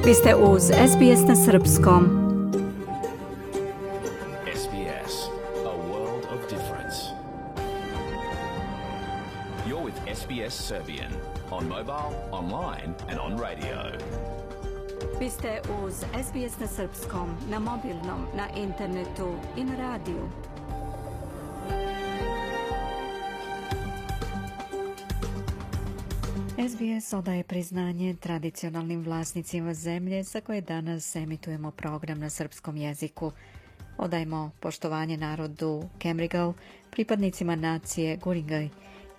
Vi ste uz SBS na srpskom. SBS, a world of difference. You're with SBS Serbian on mobile, online and on radio. Vi ste uz SBS na srpskom, na mobilnom, na internetu i na radiju. SBS odaje priznanje tradicionalnim vlasnicima zemlje za koje danas emitujemo program na srpskom jeziku. Odajemo poštovanje narodu Kemrigal, pripadnicima nacije Guringaj,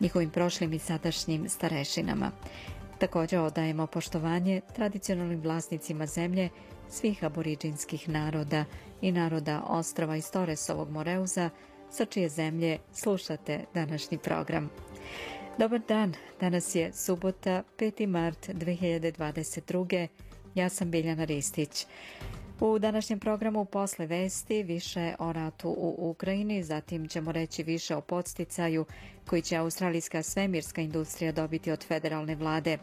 njihovim prošlim i sadašnjim starešinama. Također odajemo poštovanje tradicionalnim vlasnicima zemlje svih aboriđinskih naroda i naroda ostrava iz Toresovog Moreuza, sa čije zemlje slušate današnji program. Dobar dan, danas je subota, 5. mart 2022. Ja sam Biljana Ristić. U današnjem programu posle vesti više o ratu u Ukrajini, zatim ćemo reći više o podsticaju koji će australijska svemirska industrija dobiti od federalne vlade.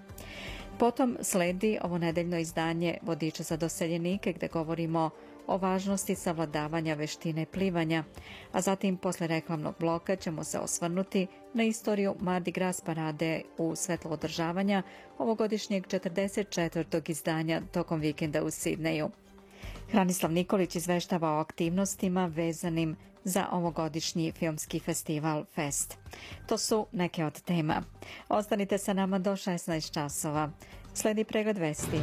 Potom sledi ovo nedeljno izdanje Vodiča za doseljenike gdje govorimo o važnosti savladavanja veštine plivanja, a zatim posle reklamnog bloka ćemo se osvrnuti na istoriju Mardi Gras parade u svetlo održavanja ovogodišnjeg 44. izdanja tokom vikenda u Sidneju. Hranislav Nikolić izveštava o aktivnostima vezanim za ovogodišnji filmski festival Fest. To su neke od tema. Ostanite sa nama do 16 časova. Sledi pregled vesti.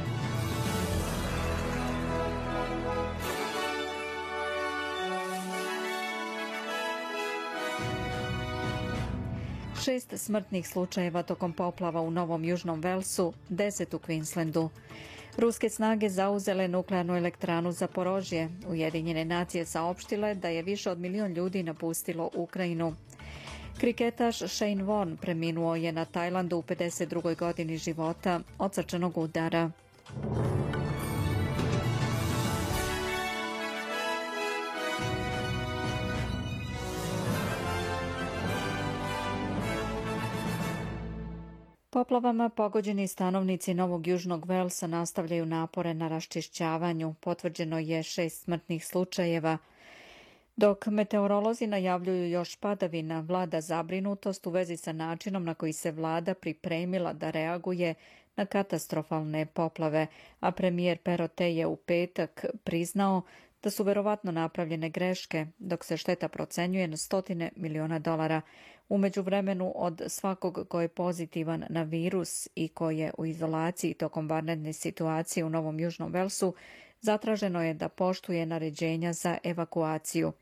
Šest smrtnih slučajeva tokom poplava u Novom Južnom Velsu, 10 u Queenslandu. Ruske snage zauzele nuklearnu elektranu Zaporožje. Ujedinjene nacije saopštile da je više od 1 milion ljudi napustilo Ukrajinu. Kriketaš Shane Warne preminuo je na Tajlandu u 52. godini života od srčanog udara. Poplavama pogođeni stanovnici Novog Južnog Velsa nastavljaju napore na raščišćavanju. Potvrđeno je 6 smrtnih slučajeva. Dok meteorolozi najavljuju još padavina, vlada zabrinutost u vezi sa načinom na koji se vlada pripremila da reaguje na katastrofalne poplave, a premijer Perotej je u petak priznao da su verovatno napravljene greške, dok se šteta procenjuje na $100 miliona. U međuvremenu od svakog ko je pozitivan na virus i ko je u izolaciji tokom vanredne situacije u Novom Južnom Velsu, zatraženo je da poštuje naređenja za evakuaciju.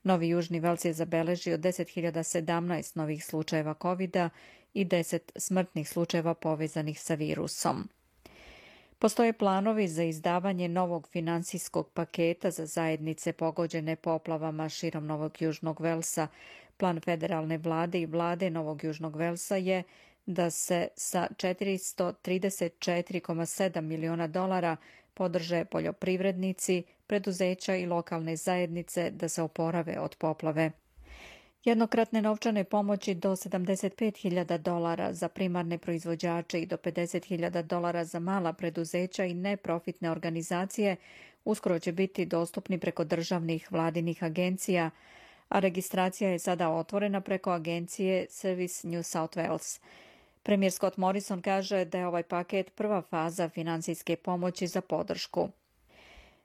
Novi Južni Vels je zabeležio 10.017 novih slučajeva COVID-a i 10 smrtnih slučajeva povezanih sa virusom. Postoje planovi za izdavanje novog finansijskog paketa za zajednice pogođene poplavama širom Novog Južnog Velsa. Plan federalne vlade i vlade Novog Južnog Velsa je da se sa $434,7 miliona podrže poljoprivrednici, preduzeća i lokalne zajednice da se oporave od poplave. Jednokratne novčane pomoći do $75.000 za primarne proizvođače i do $50.000 za mala preduzeća i neprofitne organizacije uskoro će biti dostupni preko državnih vladinih agencija, a registracija je sada otvorena preko agencije Service New South Wales. Premijer Scott Morrison kaže da je ovaj paket prva faza finansijske pomoći za podršku.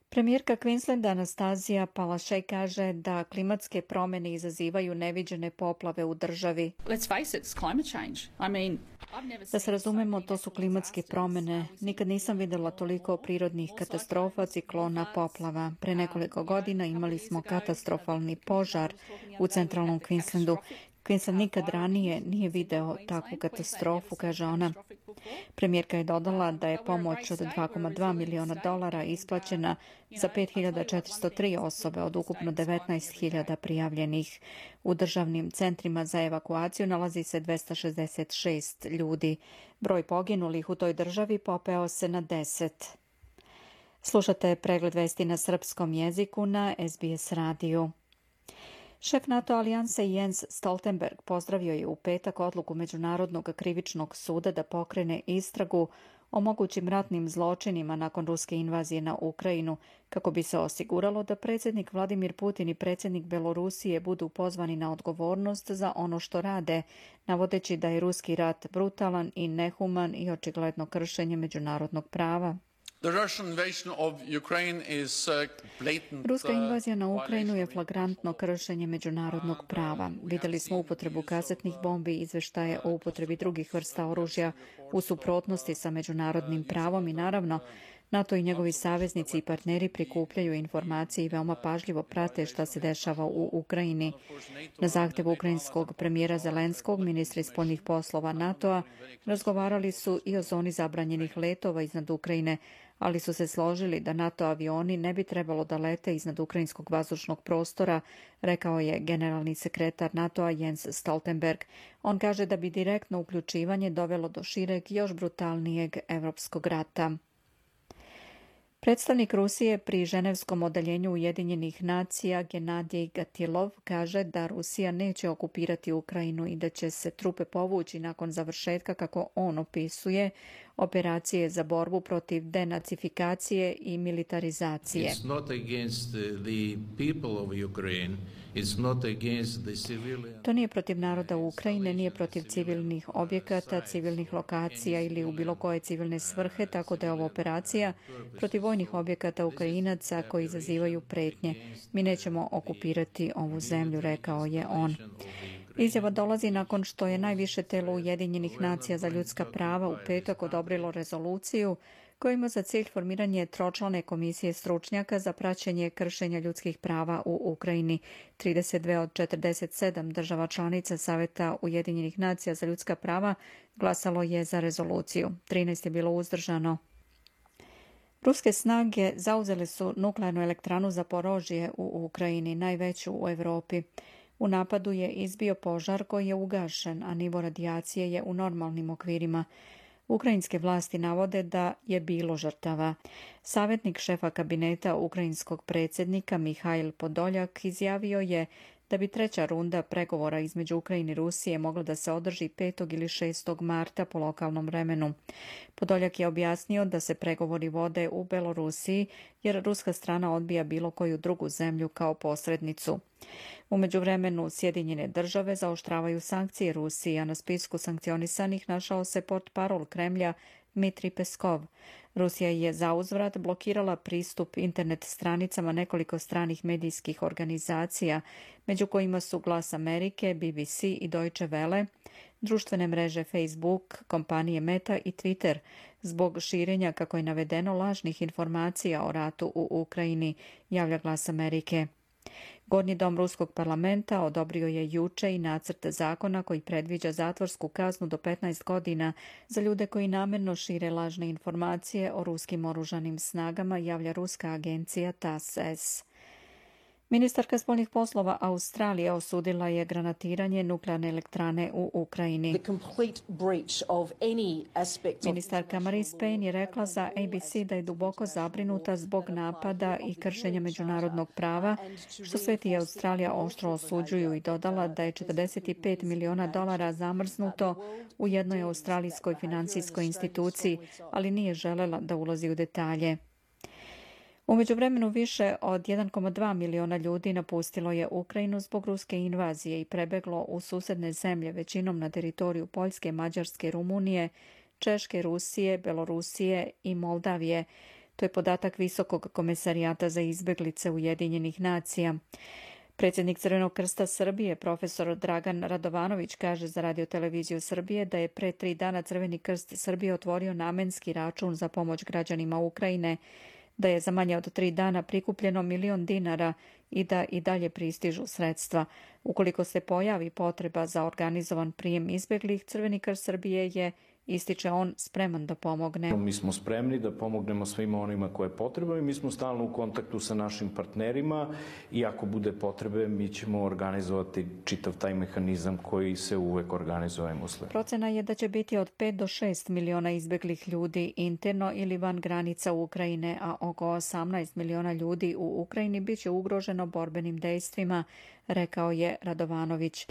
Premijerka Queenslanda Anastazija Palaszczuk kaže da klimatske promjene izazivaju neviđene poplave u državi. Da se razumemo, to su klimatske promjene. Nikad nisam vidjela toliko prirodnih katastrofa, ciklona, poplava. Pre nekoliko godina imali smo katastrofalni požar u centralnom Queenslandu. Queensland nikad ranije nije video takvu katastrofu, kaže ona. Premijerka je dodala da je pomoć od $2,2 miliona isplaćena za 5.403 osobe od ukupno 19.000 prijavljenih. U državnim centrima za evakuaciju nalazi se 266 ljudi. Broj poginulih u toj državi popeo se na 10. Slušate pregled vesti na srpskom jeziku na SBS radiju. Šef NATO alijanse Jens Stoltenberg pozdravio je u petak odluku Međunarodnog krivičnog suda da pokrene istragu o mogućim ratnim zločinima nakon ruske invazije na Ukrajinu, kako bi se osiguralo da predsjednik Vladimir Putin i predsjednik Belorusije budu pozvani na odgovornost za ono što rade, navodeći da je ruski rat brutalan i nehuman i očigledno kršenje međunarodnog prava. Ruska invazija na Ukrajinu je flagrantno kršenje međunarodnog prava. Vidjeli smo upotrebu kazetnih bombi i izveštaje o upotrebi drugih vrsta oružja u suprotnosti sa međunarodnim pravom i naravno NATO i njegovi saveznici i partneri prikupljaju informacije i veoma pažljivo prate šta se dešava u Ukrajini. Na zahtjev ukrajinskog premijera Zelenskog, ministri spoljnih poslova NATO-a razgovarali su i o zoni zabranjenih letova iznad Ukrajine, ali su se složili da NATO avioni ne bi trebalo da lete iznad ukrajinskog vazdušnog prostora, rekao je generalni sekretar NATO-a Jens Stoltenberg. On kaže da bi direktno uključivanje dovelo do šireg, još brutalnijeg evropskog rata. Predstavnik Rusije pri ženevskom odeljenju Ujedinjenih nacija Genadij Gatilov kaže da Rusija neće okupirati Ukrajinu i da će se trupe povući nakon završetka, kako on opisuje, operacije za borbu protiv denacifikacije i militarizacije. To nije protiv naroda Ukrajine, nije protiv civilnih objekata, civilnih lokacija ili u bilo koje civilne svrhe, tako da je ova operacija protiv vojnih objekata Ukrajinaca koji izazivaju pretnje. Mi nećemo okupirati ovu zemlju, rekao je on. Izjava dolazi nakon što je najviše telo Ujedinjenih nacija za ljudska prava u petak odobrilo rezoluciju koja ima za cilj formiranje tročlane komisije stručnjaka za praćenje kršenja ljudskih prava u Ukrajini. 32 od 47 država članica Saveta Ujedinjenih nacija za ljudska prava glasalo je za rezoluciju. 13 je bilo uzdržano. Ruske snage zauzele su nuklearnu elektranu Zaporožje u Ukrajini, najveću u Europi. U napadu je izbio požar koji je ugašen, a nivo radijacije je u normalnim okvirima. Ukrajinske vlasti navode da je bilo žrtava. Savjetnik šefa kabineta ukrajinskog predsjednika Mihail Podoljak izjavio je da bi treća runda pregovora između Ukrajine i Rusije mogla da se održi 5. ili 6. marta po lokalnom vremenu. Podoljak je objasnio da se pregovori vode u Belorusiji jer ruska strana odbija bilo koju drugu zemlju kao posrednicu. U međuvremenu Sjedinjene države zaoštravaju sankcije Rusiji, a na spisku sankcionisanih našao se portparol Kremlja Dmitrij Peskov. Rusija je zauzvrat blokirala pristup internet stranicama nekoliko stranih medijskih organizacija, među kojima su Glas Amerike, BBC i Deutsche Welle, društvene mreže Facebook, kompanije Meta i Twitter, zbog širenja, kako je navedeno, lažnih informacija o ratu u Ukrajini, javlja Glas Amerike. Gornji dom Ruskog parlamenta odobrio je juče i nacrt zakona koji predviđa zatvorsku kaznu do 15 godina za ljude koji namjerno šire lažne informacije o ruskim oružanim snagama, javlja ruska agencija TASS. Ministarka spoljnih poslova Australije osudila je granatiranje nuklearne elektrane u Ukrajini. Ministarka Marise Payne je rekla za ABC da je duboko zabrinuta zbog napada i kršenja međunarodnog prava, što svet i Australija oštro osuđuju, i dodala da je $45 miliona zamrznuto u jednoj australijskoj financijskoj instituciji, ali nije želela da ulazi u detalje. U međuvremenu više od 1,2 miliona ljudi napustilo je Ukrajinu zbog ruske invazije i prebeglo u susedne zemlje, većinom na teritoriju Poljske, Mađarske, Rumunije, Češke, Rusije, Belorusije i Moldavije. To je podatak Visokog komesarijata za izbeglice Ujedinjenih nacija. Predsjednik Crvenog krsta Srbije, profesor Dragan Radovanović, kaže za radioteleviziju Srbije da je pre 3 dana Crveni krst Srbije otvorio namenski račun za pomoć građanima Ukrajine, da je za manje od 3 dana prikupljeno $1 milion i da i dalje pristižu sredstva. Ukoliko se pojavi potreba za organizovan prijem izbjeglih, Crveni krst Srbije je, ističe on, spreman da pomogne. Mi smo spremni da pomognemo svima onima koje je potrebno i mi smo stalno u kontaktu sa našim partnerima i ako bude potrebe mi ćemo organizovati čitav taj mehanizam koji se uvek organizuje usled. Procena je da će biti od 5 do 6 miliona izbjeglih ljudi interno ili van granica Ukrajine, a oko 18 miliona ljudi u Ukrajini bit će ugroženo borbenim dejstvima, rekao je Radovanović.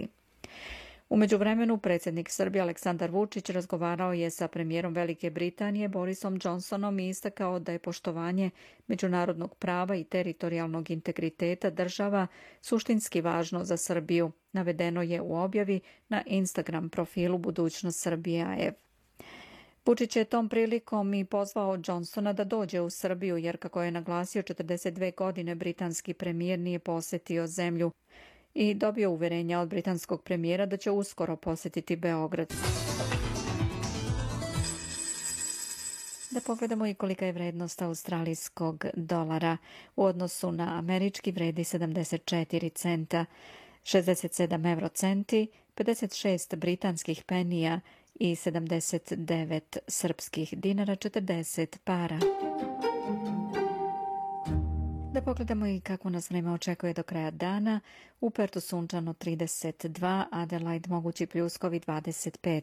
U međuvremenu, predsjednik Srbije Aleksandar Vučić razgovarao je sa premijerom Velike Britanije Borisom Johnsonom i istakao da je poštovanje međunarodnog prava i teritorijalnog integriteta država suštinski važno za Srbiju. Navedeno je u objavi na Instagram profilu Budućnost Srbije AF. Vučić je tom prilikom i pozvao Johnsona da dođe u Srbiju, jer kako je naglasio 42 godine britanski premijer nije posjetio zemlju i dobio uverenja od britanskog premijera da će uskoro posjetiti Beograd. Da pogledamo i kolika je vrednost australijskog dolara. U odnosu na američki vredi 74 centa, 67 eurocenti, 56 britanskih penija i 79 srpskih dinara, 40 para. Da pogledamo i kako nas vreme očekuje do kraja dana. U Pertu sunčano 32, Adelaide mogući pljuskovi 25,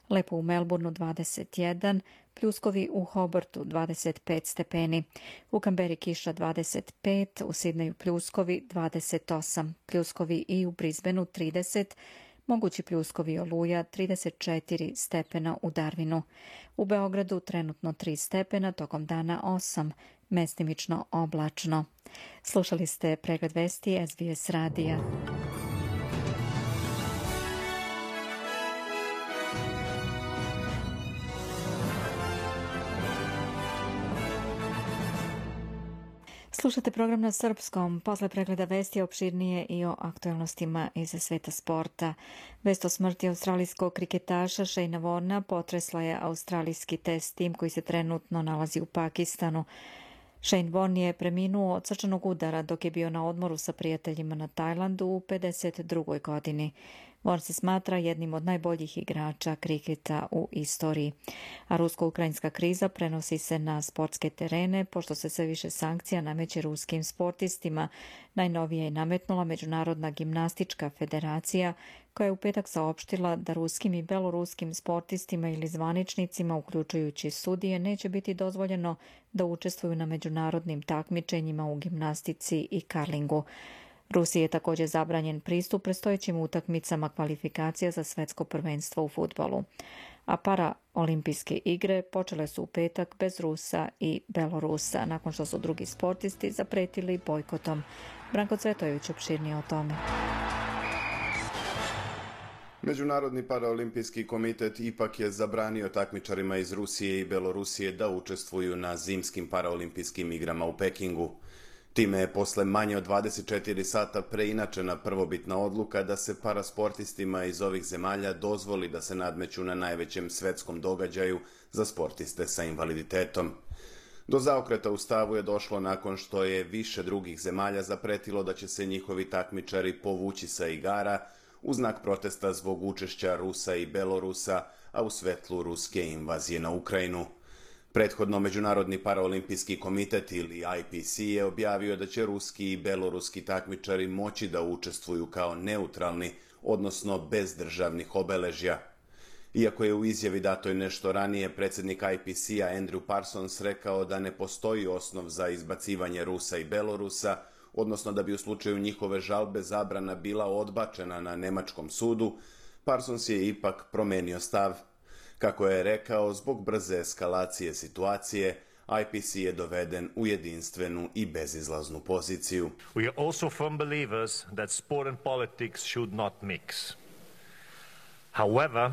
lepo u Melbourneu 21, pljuskovi u Hobartu 25 stepeni, u Kamberi kiša 25, u Sidneju pljuskovi 28, pljuskovi i u Brisbaneu 30, mogući pljuskovi oluja 34 stepena u Darwinu. U Beogradu trenutno 3 stepena, tokom dana 8, mestimično oblačno. Slušali ste pregled vesti SBS radija. Slušate program na srpskom. Posle pregleda vesti opširnije i o aktualnostima iz sveta sporta. Vest o smrti australijskog kriketaša Shayna Warna potresla je australijski test tim koji se trenutno nalazi u Pakistanu. Shane Warne je preminuo od srčanog udara dok je bio na odmoru sa prijateljima na Tajlandu u 52. godini. Warne se smatra jednim od najboljih igrača kriketa u istoriji. A rusko-ukrajinska kriza prenosi se na sportske terene, pošto se sve više sankcija nameće ruskim sportistima. Najnovije je nametnula Međunarodna gimnastička federacija, koja je u petak saopštila da ruskim i beloruskim sportistima ili zvaničnicima, uključujući sudije, neće biti dozvoljeno da učestvuju na međunarodnim takmičenjima u gimnastici i karlingu. Rusiji je također zabranjen pristup predstojećim utakmicama kvalifikacija za svetsko prvenstvo u fudbalu. A paraolimpijske igre počele su u petak bez Rusa i Belorusa, nakon što su drugi sportisti zapretili bojkotom. Branko Cvetojević opširnije o tome. Međunarodni paraolimpijski komitet ipak je zabranio takmičarima iz Rusije i Belorusije da učestvuju na zimskim paraolimpijskim igrama u Pekingu. Time je posle manje od 24 sata preinačena prvobitna odluka da se parasportistima iz ovih zemalja dozvoli da se nadmeću na najvećem svetskom događaju za sportiste sa invaliditetom. Do zaokreta u stavu je došlo nakon što je više drugih zemalja zapretilo da će se njihovi takmičari povući sa igara u znak protesta zbog učešća Rusa i Belorusa, a u svetlu ruske invazije na Ukrajinu. Prethodno Međunarodni paraolimpijski komitet ili IPC je objavio da će ruski i beloruski takmičari moći da učestvuju kao neutralni, odnosno bez državnih obeležja. Iako je u izjavi datoj nešto ranije predsjednik IPC-a Andrew Parsons rekao da ne postoji osnov za izbacivanje Rusa i Belorusa, odnosno da bi u slučaju njihove žalbe zabrana bila odbačena na nemačkom sudu, Parsons je ipak promenio stav. Kako je rekao, zbog brze eskalacije situacije, IPC je doveden u jedinstvenu i bezizlaznu poziciju. We are also firm believers that sport and politics should not mix. However,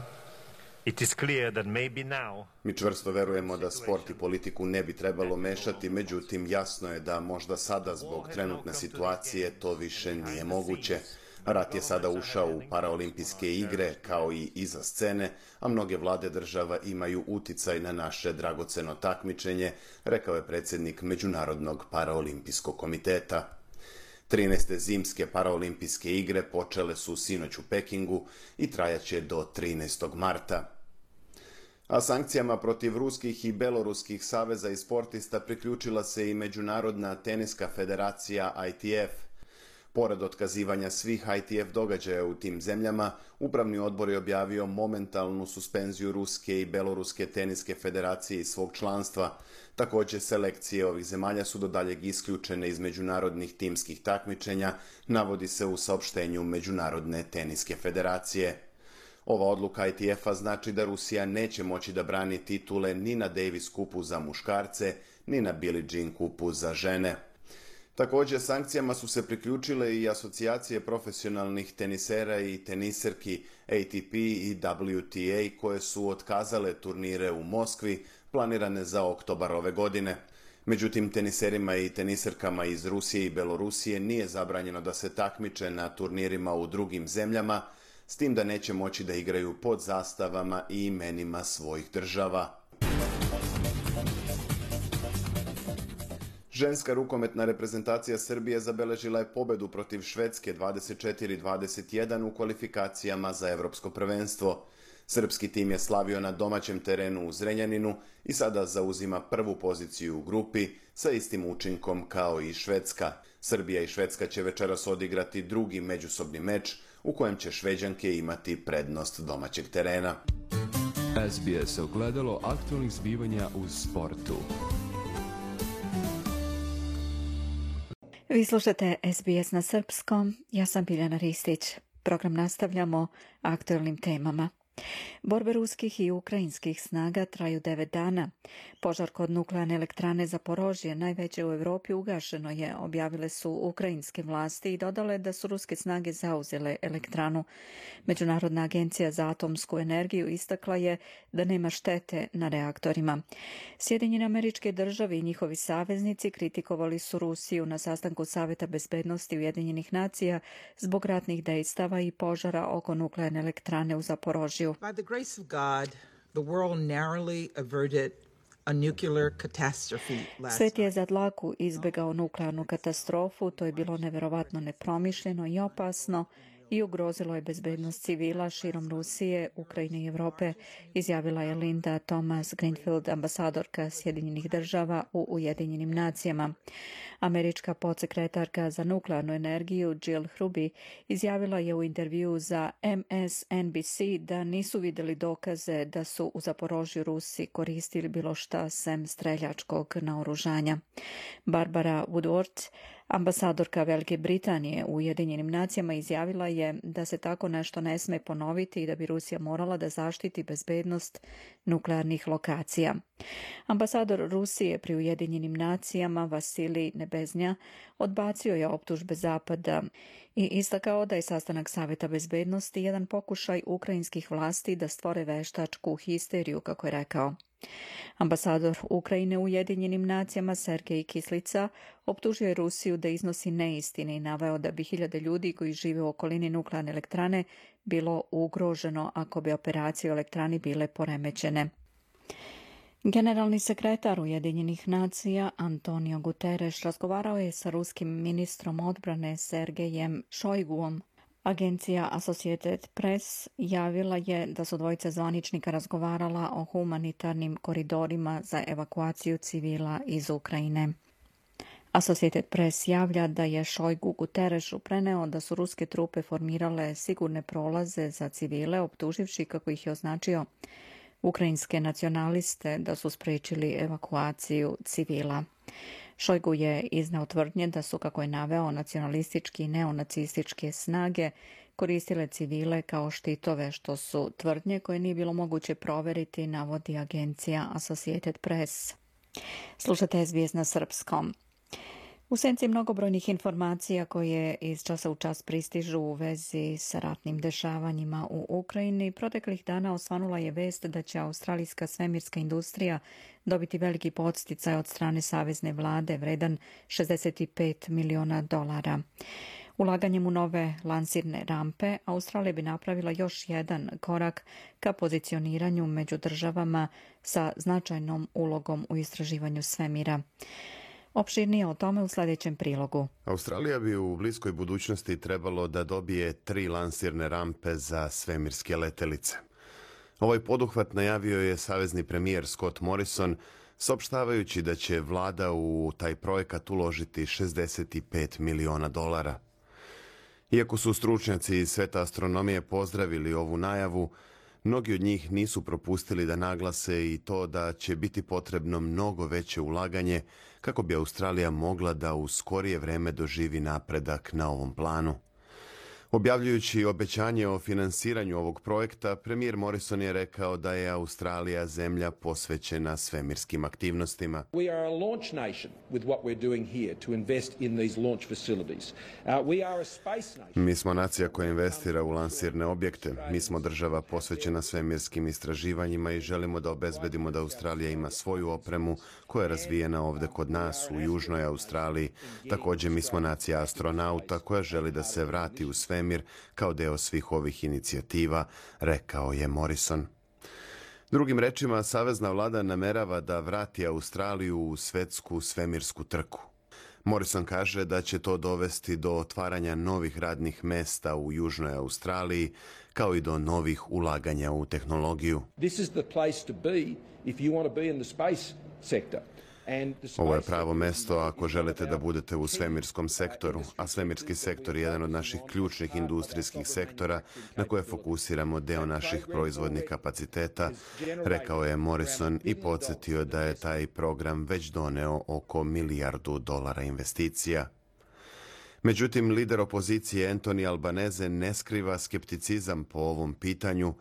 it is clear that maybe now... Mi čvrsto verujemo da sport i politiku ne bi trebalo mešati, međutim jasno je da možda sada zbog trenutne situacije to više nije moguće. Rat je sada ušao u paraolimpijske igre, kao i iza scene, a mnoge vlade država imaju uticaj na naše dragoceno takmičenje, rekao je predsjednik Međunarodnog paraolimpijskog komiteta. 13. zimske paraolimpijske igre počele su sinoć u Pekingu i trajaće do 13. marta. A sankcijama protiv ruskih i beloruskih saveza i sportista priključila se i Međunarodna teniska federacija ITF. Pored otkazivanja svih ITF događaja u tim zemljama, Upravni odbor je objavio momentalnu suspenziju Ruske i Beloruske teniske federacije iz svog članstva. Također, selekcije ovih zemalja su do daljeg isključene iz međunarodnih timskih takmičenja, navodi se u saopštenju Međunarodne teniske federacije. Ova odluka ITF-a znači da Rusija neće moći da brani titule ni na Davis kupu za muškarce, ni na Billie Jean kupu za žene. Također, sankcijama su se priključile i asocijacije profesionalnih tenisera i teniserki ATP i WTA koje su otkazale turnire u Moskvi planirane za oktobar ove godine. Međutim, teniserima i teniserkama iz Rusije i Belorusije nije zabranjeno da se takmiče na turnirima u drugim zemljama, s tim da neće moći da igraju pod zastavama i imenima svojih država. Ženska rukometna reprezentacija Srbije zabeležila je pobedu protiv Švedske 24-21 u kvalifikacijama za Evropsko prvenstvo. Srpski tim je slavio na domaćem terenu u Zrenjaninu i sada zauzima prvu poziciju u grupi sa istim učinkom kao i Švedska. Srbija i Švedska će večeras odigrati drugi međusobni meč u kojem će Šveđanke imati prednost domaćeg terena. SBS ogledalo aktualnih zbivanja u sportu. Vi slušate SBS na srpskom, ja sam Biljana Ristić. Program nastavljamo aktualnim temama. Borbe ruskih i ukrajinskih snaga traju 9 dana. Požar kod nuklearne elektrane Zaporožje, najveće u Europi, ugašeno je, objavile su ukrajinske vlasti i dodale da su ruske snage zauzele elektranu. Međunarodna agencija za atomsku energiju istakla je da nema štete na reaktorima. Sjedinjene Američke Države i njihovi saveznici kritikovali su Rusiju na sastanku Saveta bezbednosti Ujedinjenih nacija zbog ratnih dejstava i požara oko nuklearne elektrane u Zaporožju. By the grace of God, the world narrowly averted a nuclear catastrophe last Svet je za dlaku izbegao nuklearnu katastrofu, to je bilo neverovatno nepromišljeno i opasno i ugrozilo je bezbednost civila širom Rusije, Ukrajine i Evrope, izjavila je Linda Thomas Greenfield, ambasadorka Sjedinjenih Država u Ujedinjenim nacijama. Američka podsekretarka za nuklearnu energiju Jill Hruby izjavila je u intervjuu za MSNBC da nisu vidjeli dokaze da su u Zaporožju Rusi koristili bilo šta sem streljačkog naoružanja. Barbara Woodward, ambasadorka Velike Britanije u Ujedinjenim nacijama, izjavila je da se tako nešto ne sme ponoviti i da bi Rusija morala da zaštiti bezbednost nuklearnih lokacija. Ambasador Rusije pri Ujedinjenim nacijama Vasilij Nebeznja odbacio je optužbe Zapada i istakao da je sastanak Saveta bezbednosti jedan pokušaj ukrajinskih vlasti da stvore veštačku histeriju, kako je rekao. Ambasador Ukrajine u Ujedinjenim nacijama Sergej Kislica optužio je Rusiju da iznosi neistine i naveo da bi hiljade ljudi koji žive u okolini nuklearne elektrane bilo ugroženo ako bi operacije u elektrani bile poremećene. Generalni sekretar Ujedinjenih nacija Antonio Guterres razgovarao je sa ruskim ministrom odbrane Sergejem Šojguom. Agencija Associated Press javila je da su dvojica zvaničnika razgovarala o humanitarnim koridorima za evakuaciju civila iz Ukrajine. Associated Press javlja da je Šojgu Guterresu preneo da su ruske trupe formirale sigurne prolaze za civile, optuživši, kako ih je označio, ukrajinske nacionaliste da su sprečili evakuaciju civila. Šojgu je izneo tvrdnje da su, kako je naveo, nacionalistički i neonacističke snage koristile civile kao štitove, što su tvrdnje koje nije bilo moguće proveriti, navodi agencija Associated Press. Slušate SBS na srpskom. U senci mnogobrojnih informacija koje iz časa u čas pristižu u vezi sa ratnim dešavanjima u Ukrajini, proteklih dana osvanula je vest da će australijska svemirska industrija dobiti veliki podsticaj od strane savezne vlade vredan $65 miliona. Ulaganjem u nove lansirne rampe, Australija bi napravila još jedan korak ka pozicioniranju među državama sa značajnom ulogom u istraživanju svemira. Opširnije o tome u sljedećem prilogu. Australija bi u bliskoj budućnosti trebalo da dobije 3 lansirne rampe za svemirske letelice. Ovaj poduhvat najavio je savezni premijer Scott Morrison, saopštavajući da će vlada u taj projekat uložiti $65 miliona. Iako su stručnjaci iz sveta astronomije pozdravili ovu najavu, mnogi od njih nisu propustili da naglase i to da će biti potrebno mnogo veće ulaganje kako bi Australija mogla da u skorije vreme doživi napredak na ovom planu. Objavljujući obećanje o finansiranju ovog projekta, premijer Morrison je rekao da je Australija zemlja posvećena svemirskim aktivnostima. We are a launch nation with what we're doing here to invest in these launch facilities. We are a space nation. Mi smo nacija koja investira u lansirne objekte. Mi smo država posvećena svemirskim istraživanjima i želimo da obezbedimo da Australija ima svoju opremu koja je razvijena ovde kod nas u Južnoj Australiji. Također mi smo nacija astronauta koja želi da se vrati u svemir kao deo svih ovih inicijativa, rekao je Morrison. Drugim rečima, savezna vlada namerava da vrati Australiju u svetsku svemirsku trku. Morrison kaže da će to dovesti do otvaranja novih radnih mesta u Južnoj Australiji, kao i do novih ulaganja u tehnologiju. This is the place to be if you want to be in the space sector. Ovo je pravo mesto ako želite da budete u svemirskom sektoru, a svemirski sektor je jedan od naših ključnih industrijskih sektora na koje fokusiramo deo naših proizvodnih kapaciteta, rekao je Morrison i podsjetio da je taj program već doneo oko $1 milijardu investicija. Međutim, lider opozicije Anthony Albanese ne skriva skepticizam po ovom pitanju,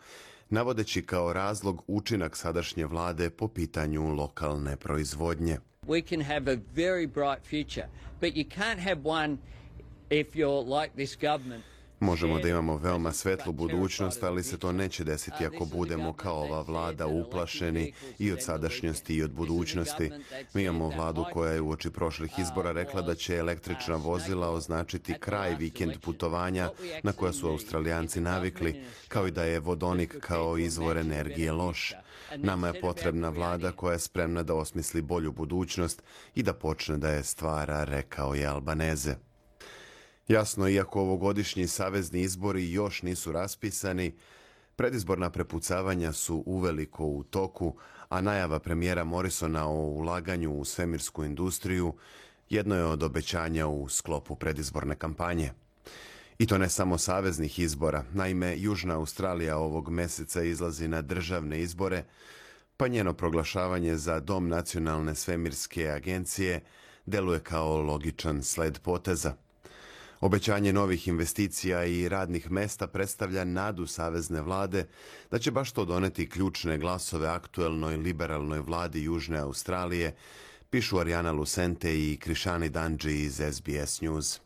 navodeći kao razlog učinak sadašnje vlade po pitanju lokalne proizvodnje. We can have a very bright future, but you can't have one if you're like this government. Možemo da imamo veoma svetlu budućnost, ali se to neće desiti ako budemo kao ova vlada uplašeni i od sadašnjosti i od budućnosti. Mi imamo vladu koja je uoči prošlih izbora rekla da će električna vozila označiti kraj vikend putovanja na koja su Australijanci navikli, kao i da je vodonik kao izvor energije loš. Nama je potrebna vlada koja je spremna da osmisli bolju budućnost i da počne da je stvara, rekao je Albanese. Jasno, iako ovogodišnji savezni izbori još nisu raspisani, predizborna prepucavanja su uveliko u toku, a najava premijera Morrisona o ulaganju u svemirsku industriju jedno je od obećanja u sklopu predizborne kampanje. I to ne samo saveznih izbora. Naime, Južna Australija ovog meseca izlazi na državne izbore, pa njeno proglašavanje za Dom nacionalne svemirske agencije deluje kao logičan sled poteza. Obećanje novih investicija i radnih mesta predstavlja nadu savezne vlade da će baš to doneti ključne glasove aktuelnoj liberalnoj vladi Južne Australije, pišu Ariana Lucente i Krishani Danji iz SBS News.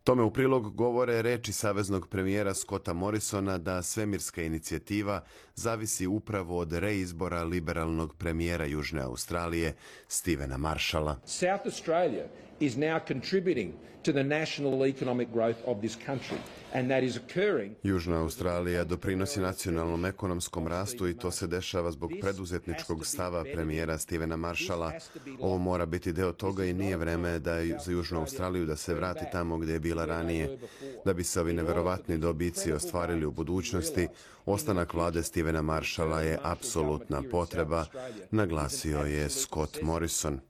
Tome u prilog govore reči saveznog premijera Scotta Morrisona da svemirska inicijativa zavisi upravo od reizbora liberalnog premijera Južne Australije, Stevena Marshalla. South Australia is now contributing to the national economic growth of this country. And that is occurring. Južna Australija doprinosi nacionalnom ekonomskom rastu i to se dešava zbog preduzetničkog stava premijera Stevena Marshalla. Ovo mora biti deo toga i nije vreme za Južnu Australiju da se vrati tamo gdje je bila ranije. Da bi se ovi neverovatni dobici ostvarili u budućnosti, ostanak vlade Stevena Marshalla je apsolutna potreba, naglasio je Scott Morrison.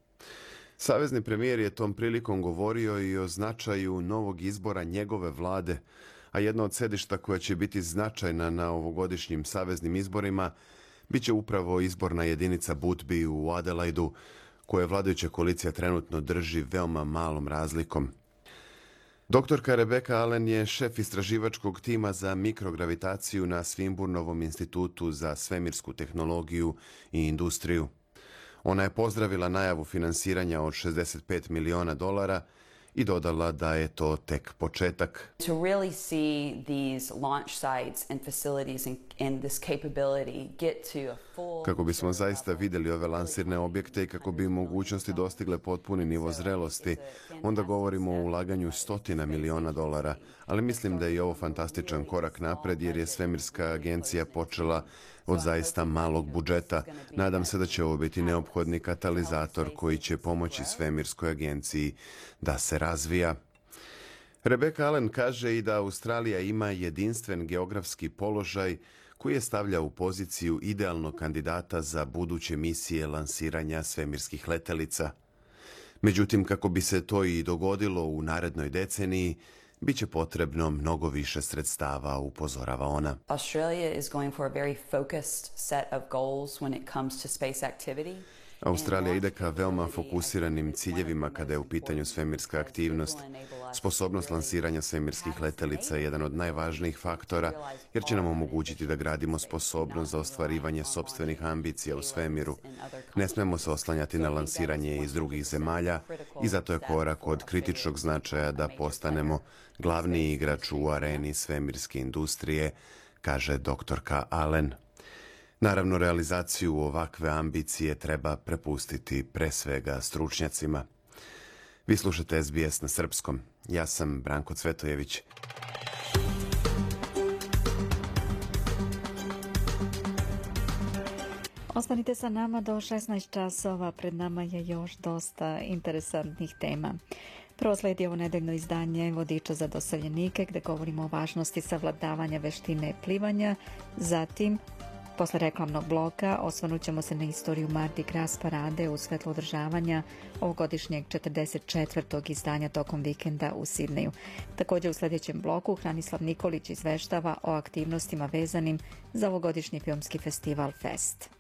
Savezni premijer je tom prilikom govorio i o značaju novog izbora njegove vlade, a jedno od sedišta koja će biti značajna na ovogodišnjim saveznim izborima biće upravo izborna jedinica Boothby u Adelaidu, koje vladajuća koalicija trenutno drži veoma malom razlikom. Doktorka Rebecca Allen je šef istraživačkog tima za mikrogravitaciju na Swinburnovom institutu za svemirsku tehnologiju i industriju. Ona je pozdravila najavu finansiranja od $65 miliona i dodala da je to tek početak. To really see these launch sites and facilities and this capability get to a full... Kako bismo zaista vidjeli ove lansirne objekte i kako bi mogućnosti dostigle potpuni nivo zrelosti, onda govorimo o ulaganju $100 miliona, ali mislim da je i ovo fantastičan korak napred jer je svemirska agencija počela od zaista malog budžeta. Nadam se da će ovo biti neophodni katalizator koji će pomoći svemirskoj agenciji da se razvija. Rebecca Allen kaže i da Australija ima jedinstven geografski položaj koji je stavlja u poziciju idealnog kandidata za buduće misije lansiranja svemirskih letelica. Međutim, kako bi se to i dogodilo u narednoj deceniji, biće potrebno mnogo više sredstava, upozorava ona. Australia is going for a very focused set of goals when it comes to space activity. Australija ide ka veoma fokusiranim ciljevima kada je u pitanju svemirska aktivnost. Sposobnost lansiranja svemirskih letelica je jedan od najvažnijih faktora, jer će nam omogućiti da gradimo sposobnost za ostvarivanje sopstvenih ambicija u svemiru. Ne smemo se oslanjati na lansiranje iz drugih zemalja i zato je korak od kritičnog značaja da postanemo glavni igrač u areni svemirske industrije, kaže doktorka Allen. Naravno, realizaciju ovakve ambicije treba prepustiti pre svega stručnjacima. Vi slušate SBS na srpskom. Ja sam Branko Cvetojević. Ostanite sa nama do 16 časova. Pred nama je još dosta interesantnih tema. Prvo slijedi ovo nedeljno izdanje Vodiča za doseljenike, gdje govorimo o važnosti savladavanja veštine plivanja. Zatim, posle reklamnog bloka, osvrnut ćemo se na istoriju Mardi Gras parade u svetlu održavanja ovogodišnjeg 44. izdanja tokom vikenda u Sidneju. Također u sljedećem bloku Hranislav Nikolić izveštava o aktivnostima vezanim za ovogodišnji filmski festival Fest.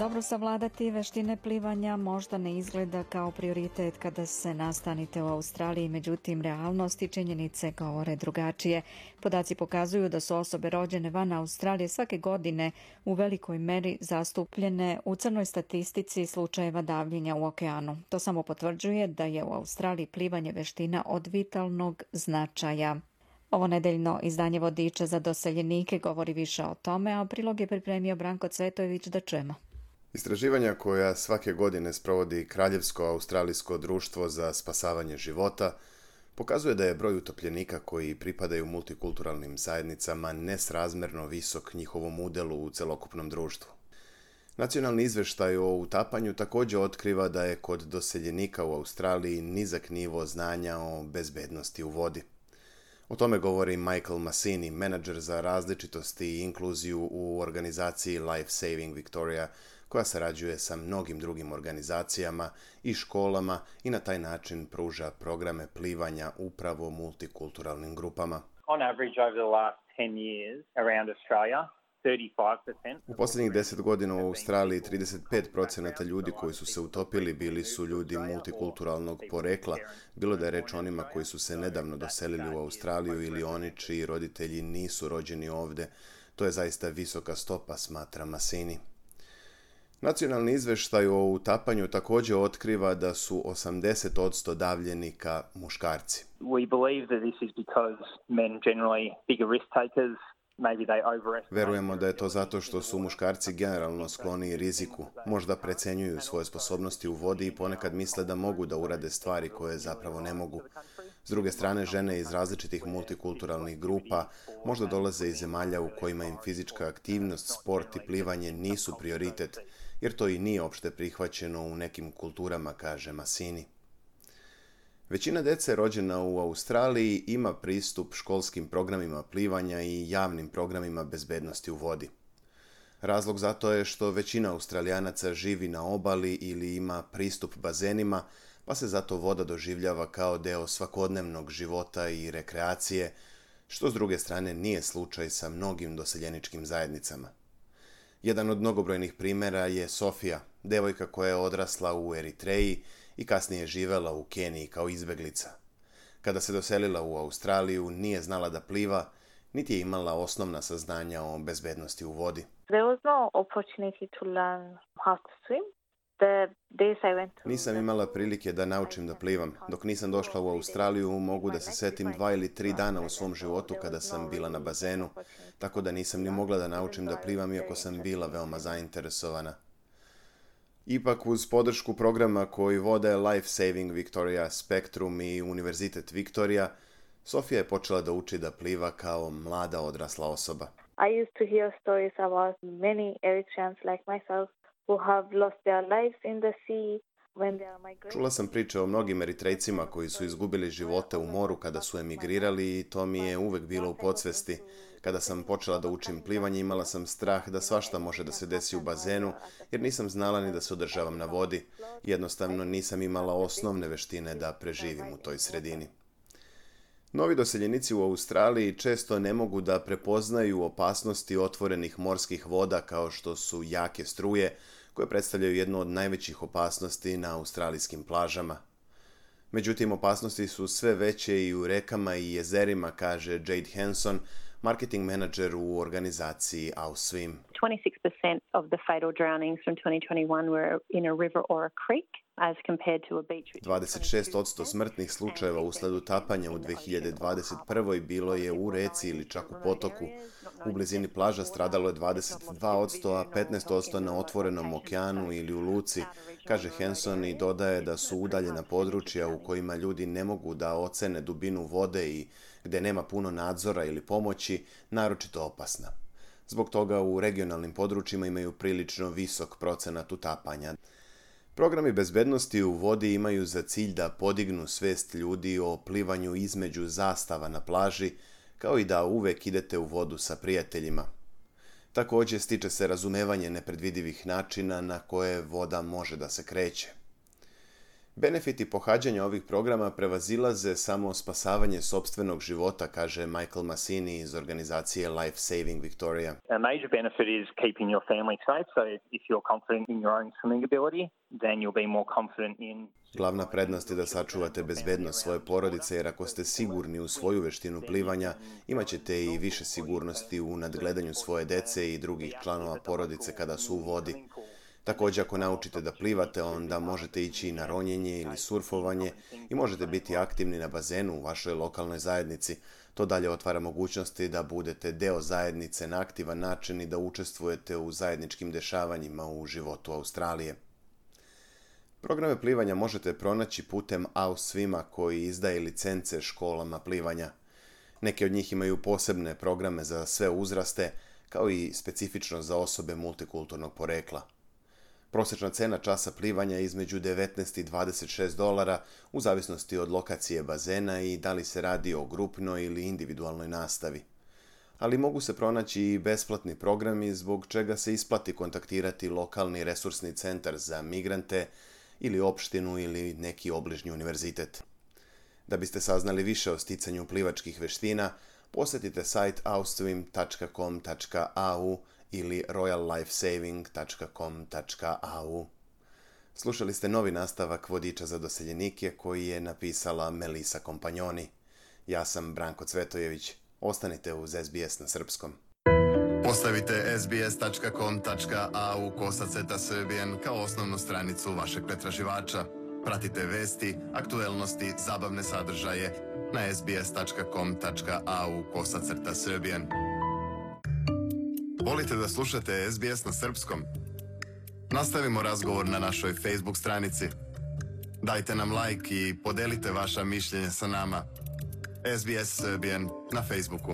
Dobro savladati veštine plivanja možda ne izgleda kao prioritet kada se nastanite u Australiji, međutim realnost i činjenice govore drugačije. Podaci pokazuju da su osobe rođene van Australije svake godine u velikoj meri zastupljene u crnoj statistici slučajeva davljenja u okeanu. To samo potvrđuje da je u Australiji plivanje veština od vitalnog značaja. Ovo nedeljno izdanje Vodiča za doseljenike govori više o tome, a prilog je pripremio Branko Cvetojević, da čujemo. Istraživanja koja svake godine sprovodi Kraljevsko australijsko društvo za spasavanje života pokazuje da je broj utopljenika koji pripadaju multikulturalnim zajednicama nesrazmjerno visok njihovom udjelu u celokupnom društvu. Nacionalni izvještaj o utapanju također otkriva da je kod doseljenika u Australiji nizak nivo znanja o bezbednosti u vodi. O tome govori Michael Massini, menadžer za različitosti i inkluziju u organizaciji Life Saving Victoria, koja sarađuje sa mnogim drugim organizacijama i školama i na taj način pruža programe plivanja upravo multikulturalnim grupama. On average over the last 10 years around Australia, 35%. U posljednjih 10 godina u Australiji 35% ljudi koji su se utopili bili su ljudi multikulturalnog porekla, bilo da je reč o onima koji su se nedavno doselili u Australiju ili oni čiji roditelji nisu rođeni ovdje. To je zaista visoka stopa, smatra Massini. Nacionalni izvještaj o utapanju također otkriva da su 80% davljenika muškarci. We believe that this is because men generally bigger risk takers. Verujemo da je to zato što su muškarci generalno skloniji riziku, možda precenjuju svoje sposobnosti u vodi i ponekad misle da mogu da urade stvari koje zapravo ne mogu. S druge strane, žene iz različitih multikulturalnih grupa možda dolaze iz zemalja u kojima im fizička aktivnost, sport i plivanje nisu prioritet, jer to i nije opšte prihvaćeno u nekim kulturama, kaže Massini. Većina dece rođena u Australiji ima pristup školskim programima plivanja i javnim programima bezbednosti u vodi. Razlog za to je što većina Australijanaca živi na obali ili ima pristup bazenima, pa se zato voda doživljava kao deo svakodnevnog života i rekreacije, što s druge strane nije slučaj sa mnogim doseljeničkim zajednicama. Jedan od mnogobrojnih primjera je Sofija, devojka koja je odrasla u Eritreji i kasnije živela u Keniji kao izbeglica. Kada se doselila u Australiju, nije znala da pliva, niti je imala osnovna saznanja o bezbednosti u vodi. There was no opportunity to learn how to swim. Nisam imala prilike da naučim da plivam. Dok nisam došla u Australiju, mogu da se setim 2 ili 3 dana u svom životu kada sam bila na bazenu, tako da nisam ni mogla da naučim da plivam, iako sam bila veoma zainteresovana. Ipak, uz podršku programa koji vode Life Saving Victoria, Spectrum i Univerzitet Victoria, Sofija je počela da uči da pliva kao mlada odrasla osoba. I used to hear stories about many Eritreans like myself who have lost their lives in the sea when they are migrating. Čula sam priče o mnogim Eritrejcima koji su izgubili živote u moru kada su emigrirali i to mi je uvek bilo u podsvesti. Kada sam počela da učim plivanje, imala sam strah da svašta može da se desi u bazenu, jer nisam znala ni da se održavam na vodi. Jednostavno nisam imala osnovne veštine da preživim u toj sredini. Novi doseljenici u Australiji često ne mogu da prepoznaju opasnosti otvorenih morskih voda kao što su jake struje, koje predstavljaju jednu od najvećih opasnosti na australijskim plažama. Međutim, opasnosti su sve veće i u rekama i jezerima, kaže Jade Hanson, marketing menadžer u organizaciji AusSwim. 26% of the fatal drownings from 2021 were in a river or a creek. 26% smrtnih slučajeva usled utapanja u 2021. bilo je u reci ili čak u potoku. U blizini plaža stradalo je 22%, a 15% na otvorenom okeanu ili u luci, kaže Hanson i dodaje da su udaljena područja u kojima ljudi ne mogu da ocene dubinu vode i gde nema puno nadzora ili pomoći, naročito opasna. Zbog toga u regionalnim područjima imaju prilično visok procenat utapanja. Programi bezbednosti u vodi imaju za cilj da podignu svest ljudi o plivanju između zastava na plaži, kao i da uvek idete u vodu sa prijateljima. Također stiče se razumevanje nepredvidivih načina na koje voda može da se kreće. Benefiti pohađanja ovih programa prevazilaze samo spasavanje sopstvenog života, kaže Michael Massini iz organizacije Life Saving Victoria. A major benefit is keeping your family safe, so if you're confident in your own swimming ability, then you'll be more confident in... Glavna prednost je da sačuvate bezbednost svoje porodice, jer ako ste sigurni u svoju veštinu plivanja, imat ćete i više sigurnosti u nadgledanju svoje dece i drugih članova porodice kada su u vodi. Također, ako naučite da plivate, onda možete ići na ronjenje ili surfovanje i možete biti aktivni na bazenu u vašoj lokalnoj zajednici. To dalje otvara mogućnosti da budete deo zajednice na aktivan način i da učestvujete u zajedničkim dešavanjima u životu Australije. Programe plivanja možete pronaći putem AusSwima koji izdaje licence školama plivanja. Neke od njih imaju posebne programe za sve uzraste, kao i specifično za osobe multikulturnog porekla. Prosječna cena časa plivanja je između $19 i $26 u zavisnosti od lokacije bazena i da li se radi o grupnoj ili individualnoj nastavi. Ali mogu se pronaći i besplatni programi zbog čega se isplati kontaktirati lokalni resursni centar za migrante ili opštinu ili neki obližnji univerzitet. Da biste saznali više o sticanju plivačkih veština, posjetite sajt ausswim.com.au ili royallifesaving.com.au. Slušali ste novi nastavak Vodiča za doseljenike koji je napisala Melisa Kompanjoni. Ja sam Branko Cvetojević. Ostanite uz SBS na srpskom. Postavite sbs.com.au/srbijen kao osnovnu stranicu vašeg pretraživača. Pratite vesti, aktuelnosti, zabavne sadržaje na sbs.com.au/srbijen. Volite da slušate SBS na srpskom? Nastavimo razgovor na našoj Facebook stranici. Dajte nam like i podelite vaša mišljenja sa nama. SBS Serbian na Facebooku.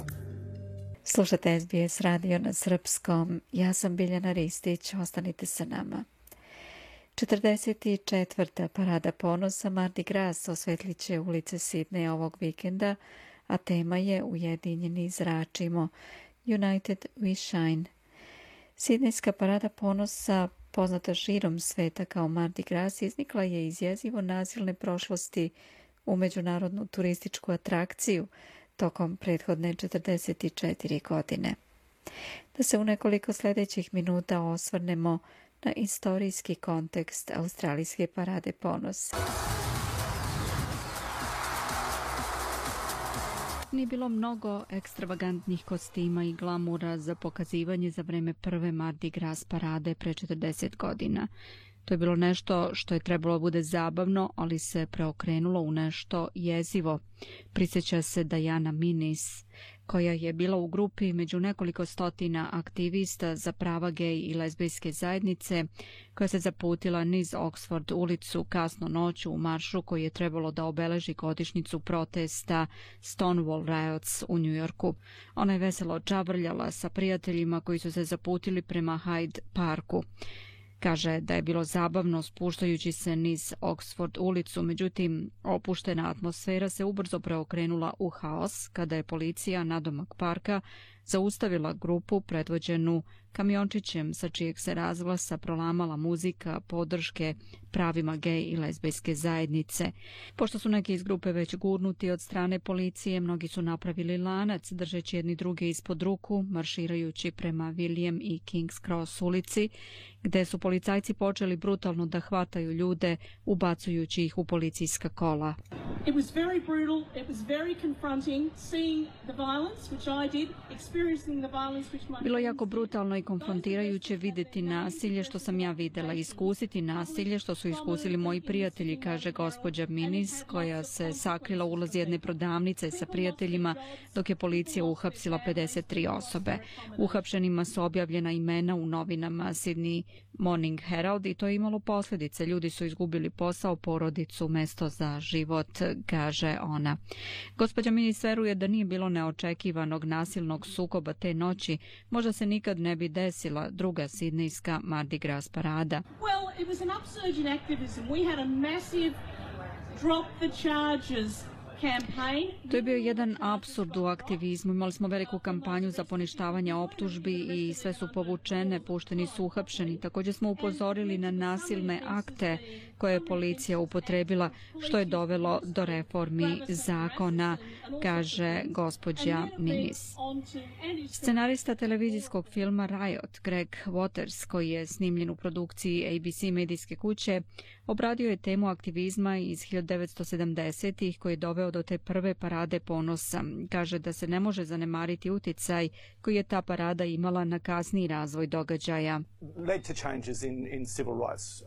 Slušate SBS radio na srpskom. Ja sam Biljana Ristić. Ostanite sa nama. 44. parada ponosa Mardi Gras osvetlit će ulice Sidneja ovog vikenda, a tema je Ujedinjeni zračimo. United we shine. Sidnejska parada ponosa, poznata širom sveta kao Mardi Gras, iznikla je iz jezivo nasilne prošlosti u međunarodnu turističku atrakciju tokom prethodne 44 godine. Da se u nekoliko sljedećih minuta osvrnemo na istorijski kontekst australijske parade ponosa. Nije bilo mnogo ekstravagantnih kostima i glamura za pokazivanje za vreme prve Mardi Gras parade pre 40 godina. To je bilo nešto što je trebalo bude zabavno, ali se preokrenulo u nešto jezivo. Prisjeća se Diana Minis, koja je bila u grupi među nekoliko stotina aktivista za prava gej i lezbijske zajednice, koja se zaputila niz Oxford ulicu kasno noću u maršu koji je trebalo da obeleži godišnjicu protesta Stonewall Riots u Njujorku. Ona je veselo čavrljala sa prijateljima koji su se zaputili prema Hyde Parku. Kaže da je bilo zabavno spuštajući se niz Oxford ulicu, međutim opuštena atmosfera se ubrzo preokrenula u haos kada je policija nadomak parka zaustavila grupu predvođenu kamiončićem sa čijeg se razglasa prolamala muzika podrške pravima gej i lezbijske zajednice. Pošto su neki iz grupe već gurnuti od strane policije, mnogi su napravili lanac držeći jedni druge ispod ruku, marširajući prema William i King's Cross ulici, gde su policajci počeli brutalno da hvataju ljude, ubacujući ih u policijska kola. It was very brutal, it was very confronting, seeing the violence, which I did, experiencing the violence which my... Bilo je jako brutalno i konfrontirajuće vidjeti nasilje što sam ja videla, iskusiti nasilje što su iskusili moji prijatelji, kaže gospođa Minis, koja se sakrila u ulaz jedne prodavnice sa prijateljima dok je policija uhapsila 53 osobe. Uhapšenima su objavljena imena u novinama Sydney Morning Herald i to je imalo posljedice. Ljudi su izgubili posao, porodicu, mesto za život, kaže ona. Gospođa Minis veruje da nije bilo neočekivanog nasilnog sukoba te noći, možda se nikad ne bi desila druga sidnejska Mardi Gras parada. Well, it was an upsurge in activism. We had a massive drop the charges campaign. To je bio jedan apsurd u aktivizmu. Imali smo veliku kampanju za poništavanje optužbi i sve su povučene, pušteni su uhapšeni. Također smo upozorili na nasilne akte koje je policija upotrebila, što je dovelo do reformi zakona, kaže gospođa Minis. Scenarista televizijskog filma Riot, Greg Waters, koji je snimljen u produkciji ABC medijske kuće, obradio je temu aktivizma iz 1970-ih koji je doveo do te prve parade ponosa. Kaže da se ne može zanemariti uticaj koji je ta parada imala na kasniji razvoj događaja. Led to changes in civil rights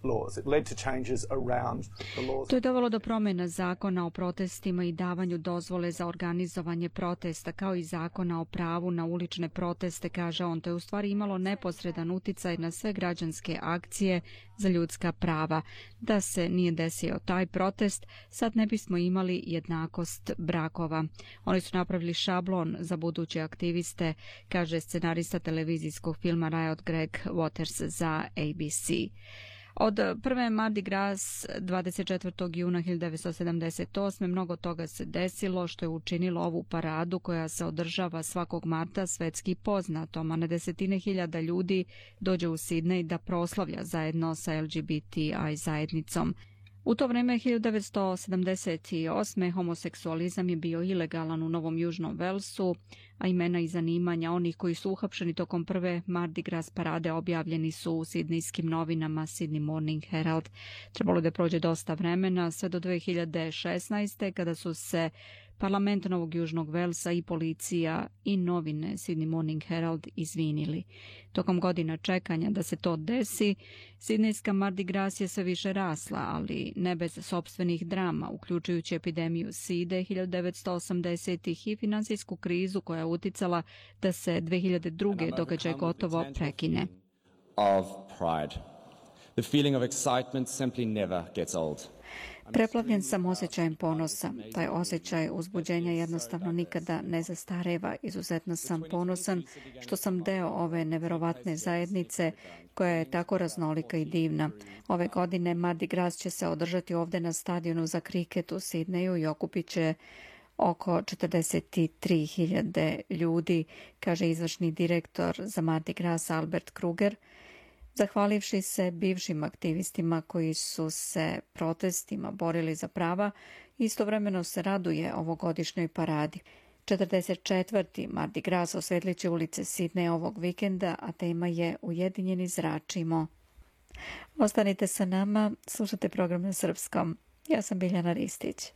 laws. It led to changes around the laws. To je dovelo do promjena zakona o protestima i davanju dozvole za organizovanje protesta, kao i zakona o pravu na ulične proteste, kaže on. To je u stvari imalo neposredan uticaj na sve građanske akcije za ljudska prava. Da se nije desio taj protest, sad ne bismo imali jednakost brakova. Oni su napravili šablon za buduće aktiviste, kaže scenarista televizijskog filma Riot Greg Waters za ABC. Od prve Mardi Gras 24. juna 1978. mnogo toga se desilo što je učinilo ovu paradu koja se održava svakog marta svetski poznatom, a na desetine hiljada ljudi dođe u Sidnej da proslavlja zajedno sa LGBTI zajednicom. U to vrijeme 1978. homoseksualizam je bio ilegalan u Novom Južnom Velsu, a imena i zanimanja onih koji su uhapšeni tokom prve Mardi Gras parade objavljeni su u sidnijskim novinama Sydney Morning Herald. Trebalo da prođe dosta vremena, sve do 2016. kada su se Parlament Novog Južnog Velsa i policija i novine Sydney Morning Herald izvinili. Tokom godina čekanja da se to desi, sidnejska Mardi Gras je sve više rasla, ali ne bez sopstvenih drama, uključujući epidemiju side 1980-ih i finansijsku krizu koja je uticala da se 2002. događaj gotovo prekine. Of pride. The feeling of excitement simply never gets old. Preplavljen sam osjećajem ponosa. Taj osjećaj uzbuđenja jednostavno nikada ne zastareva. Izuzetno sam ponosan što sam deo ove neverovatne zajednice koja je tako raznolika i divna. Ove godine Mardi Gras će se održati ovdje na stadionu za kriket u Sidneju i okupit će oko 43.000 ljudi, kaže izvršni direktor za Mardi Gras Albert Kruger, zahvalivši se bivšim aktivistima koji su se protestima borili za prava. Istovremeno se raduje ovogodišnjoj paradi. 44. Mardi Gras osvetlit će ulice Sidneja ovog vikenda, a tema je Ujedinjeni zračimo. Ostanite sa nama, slušate program na srpskom. Ja sam Biljana Ristić.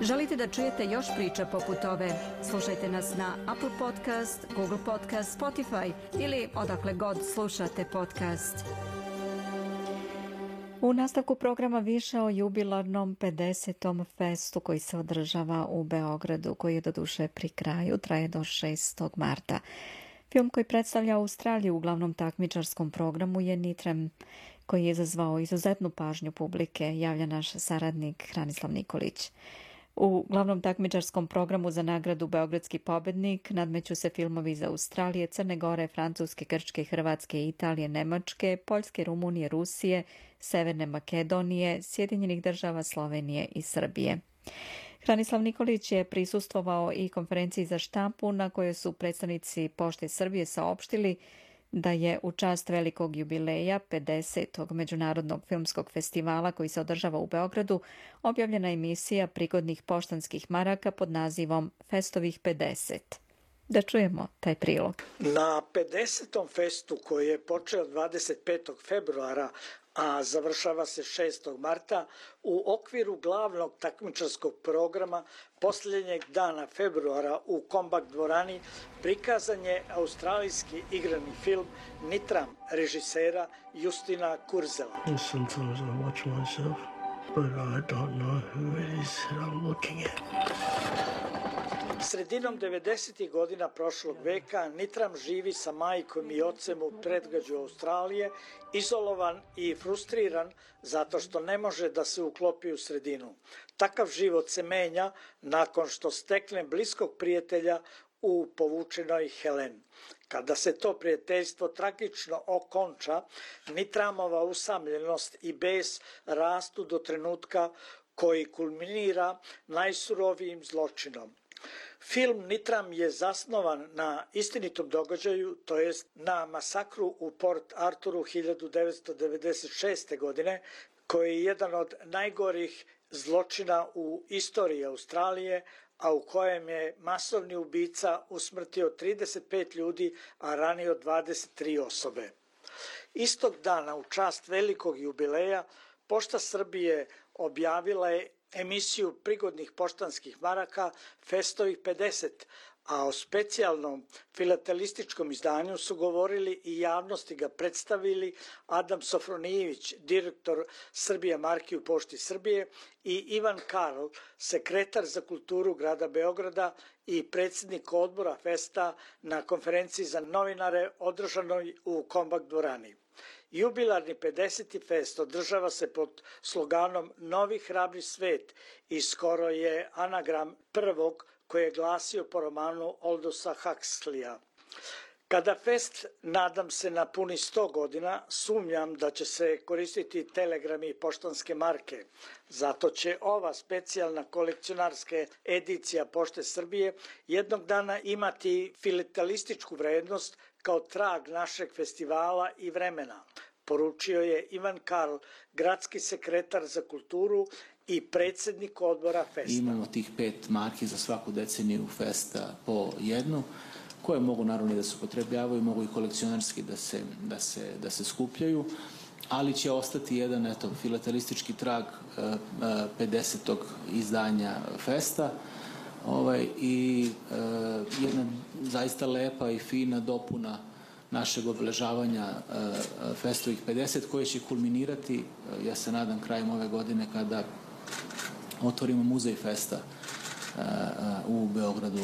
Želite da čujete još priča poput ove? Slušajte nas na Apple Podcast, Google Podcast, Spotify ili odakle god slušate podcast. U nastavku programa više o jubilarnom 50. festu koji se održava u Beogradu, koji je doduše pri kraju, traje do 6. marta. Film koji predstavlja Australiju u glavnom takmičarskom programu je Nitrem, koji je izazvao izuzetnu pažnju publike, javlja naš saradnik Hranislav Nikolić. U glavnom takmičarskom programu za nagradu Beogradski pobednik nadmeću se filmovi iz Australije, Crne Gore, Francuske, Grčke, Hrvatske, Italije, Nemačke, Poljske, Rumunije, Rusije, Severne Makedonije, Sjedinjenih Država, Slovenije i Srbije. Hranislav Nikolić je prisustvovao i konferenciji za štampu na kojoj su predstavnici Pošte Srbije saopštili da je u čast velikog jubileja 50. Međunarodnog filmskog festivala koji se održava u Beogradu objavljena emisija prigodnih poštanskih maraka pod nazivom Festovih 50. Da čujemo taj prilog. Na 50. festu koji je počeo 25. februara, a završava se 6. marta, u okviru glavnog takmičarskog programa posljednjeg dana februara u Kombak dvorani prikazan je australijski igrani film Nitram režisera Justina Kurzela. Sometimes I watch myself, but I don't know who it is that I'm looking at. Sredinom 90. godina prošlog veka Nitram živi sa majkom i ocem u predgrađu Australije, izolovan i frustriran zato što ne može da se uklopi u sredinu. Takav život se menja nakon što stekne bliskog prijatelja u povučenoj Helen. Kada se to prijateljstvo tragično okonča, Nitramova usamljenost i bes rastu do trenutka koji kulminira najsurovijim zločinom. Film Nitram je zasnovan na istinitom događaju, to jest na masakru u Port Arturu 1996. godine, koji je jedan od najgorih zločina u istoriji Australije, a u kojem je masovni ubica usmrtio 35 ljudi, a ranio 23 osobe. Istog dana, u čast velikog jubileja, Pošta Srbije objavila je emisiju prigodnih poštanskih maraka Festovih 50, a o specijalnom filatelističkom izdanju su govorili i javnosti ga predstavili Adam Sofronijević, direktor Srbija marki u Pošti Srbije, i Ivan Karl, sekretar za kulturu grada Beograda i predsjednik odbora Festa na konferenciji za novinare održanoj u Kombak dvorani. Jubilarni 50. fest održava se pod sloganom Novi hrabri svet i skoro je anagram prvog koji je glasio po romanu Aldosa Huxleya. Kada fest, nadam se, napuni 100 godina, sumnjam da će se koristiti telegrami i poštanske marke. Zato će ova specijalna kolekcionarska edicija Pošte Srbije jednog dana imati filatelističku vrednost kao trag našeg festivala i vremena, poručio je Ivan Karl, gradski sekretar za kulturu i predsjednik odbora Festa. Imamo tih 5 marki za svaku deceniju Festa po jednu, koje mogu naravno da se upotrebljavaju, mogu i kolekcionarski da se skupljaju, ali će ostati jedan filatelistički trag 50. izdanja Festa i jedna zaista lepa i fina dopuna našeg obeležavanja Festovih 50, koje će kulminirati, ja se nadam, krajem ove godine kada otvorimo muzej Festa u Beogradu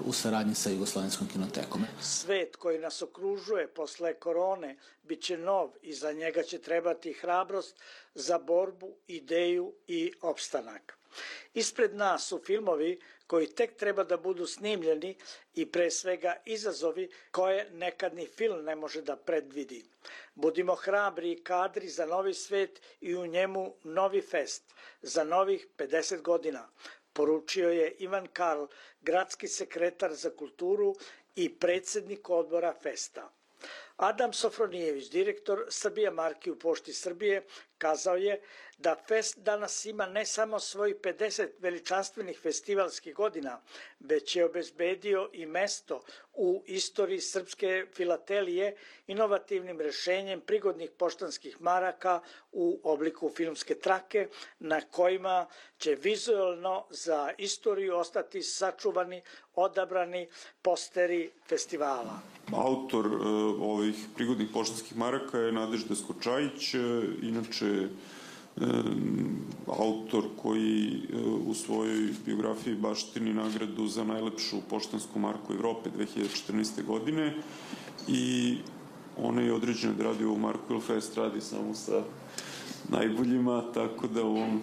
u saradnji sa Jugoslovenskom kinotekom. Svet koji nas okružuje posle korone bit će nov i za njega će trebati hrabrost za borbu, ideju i opstanak. Ispred nas su filmovi koji tek treba da budu snimljeni i pre svega izazovi koje nekad ni film ne može da predvidi. Budimo hrabri i kadri za novi svet i u njemu novi fest za novih 50 godina, poručio je Ivan Karl, gradski sekretar za kulturu i predsjednik odbora Festa. Adam Sofronijević, direktor Srbija marki u Pošti Srbije, kazao je da Fest danas ima ne samo svojih 50 veličanstvenih festivalskih godina, već je obezbedio i mesto u istoriji srpske filatelije inovativnim rešenjem prigodnih poštanskih maraka u obliku filmske trake, na kojima će vizualno za istoriju ostati sačuvani, odabrani posteri festivala. Autor ovih prigodnih poštanskih maraka je Nadežda Skočajić, inače autor koji u svojoj biografiji baštini nagradu za najlepšu poštansku marku Evrope 2014. godine i ona je određena da radi ovu marku, jer Fest radi samo sa najboljima, tako da u ovom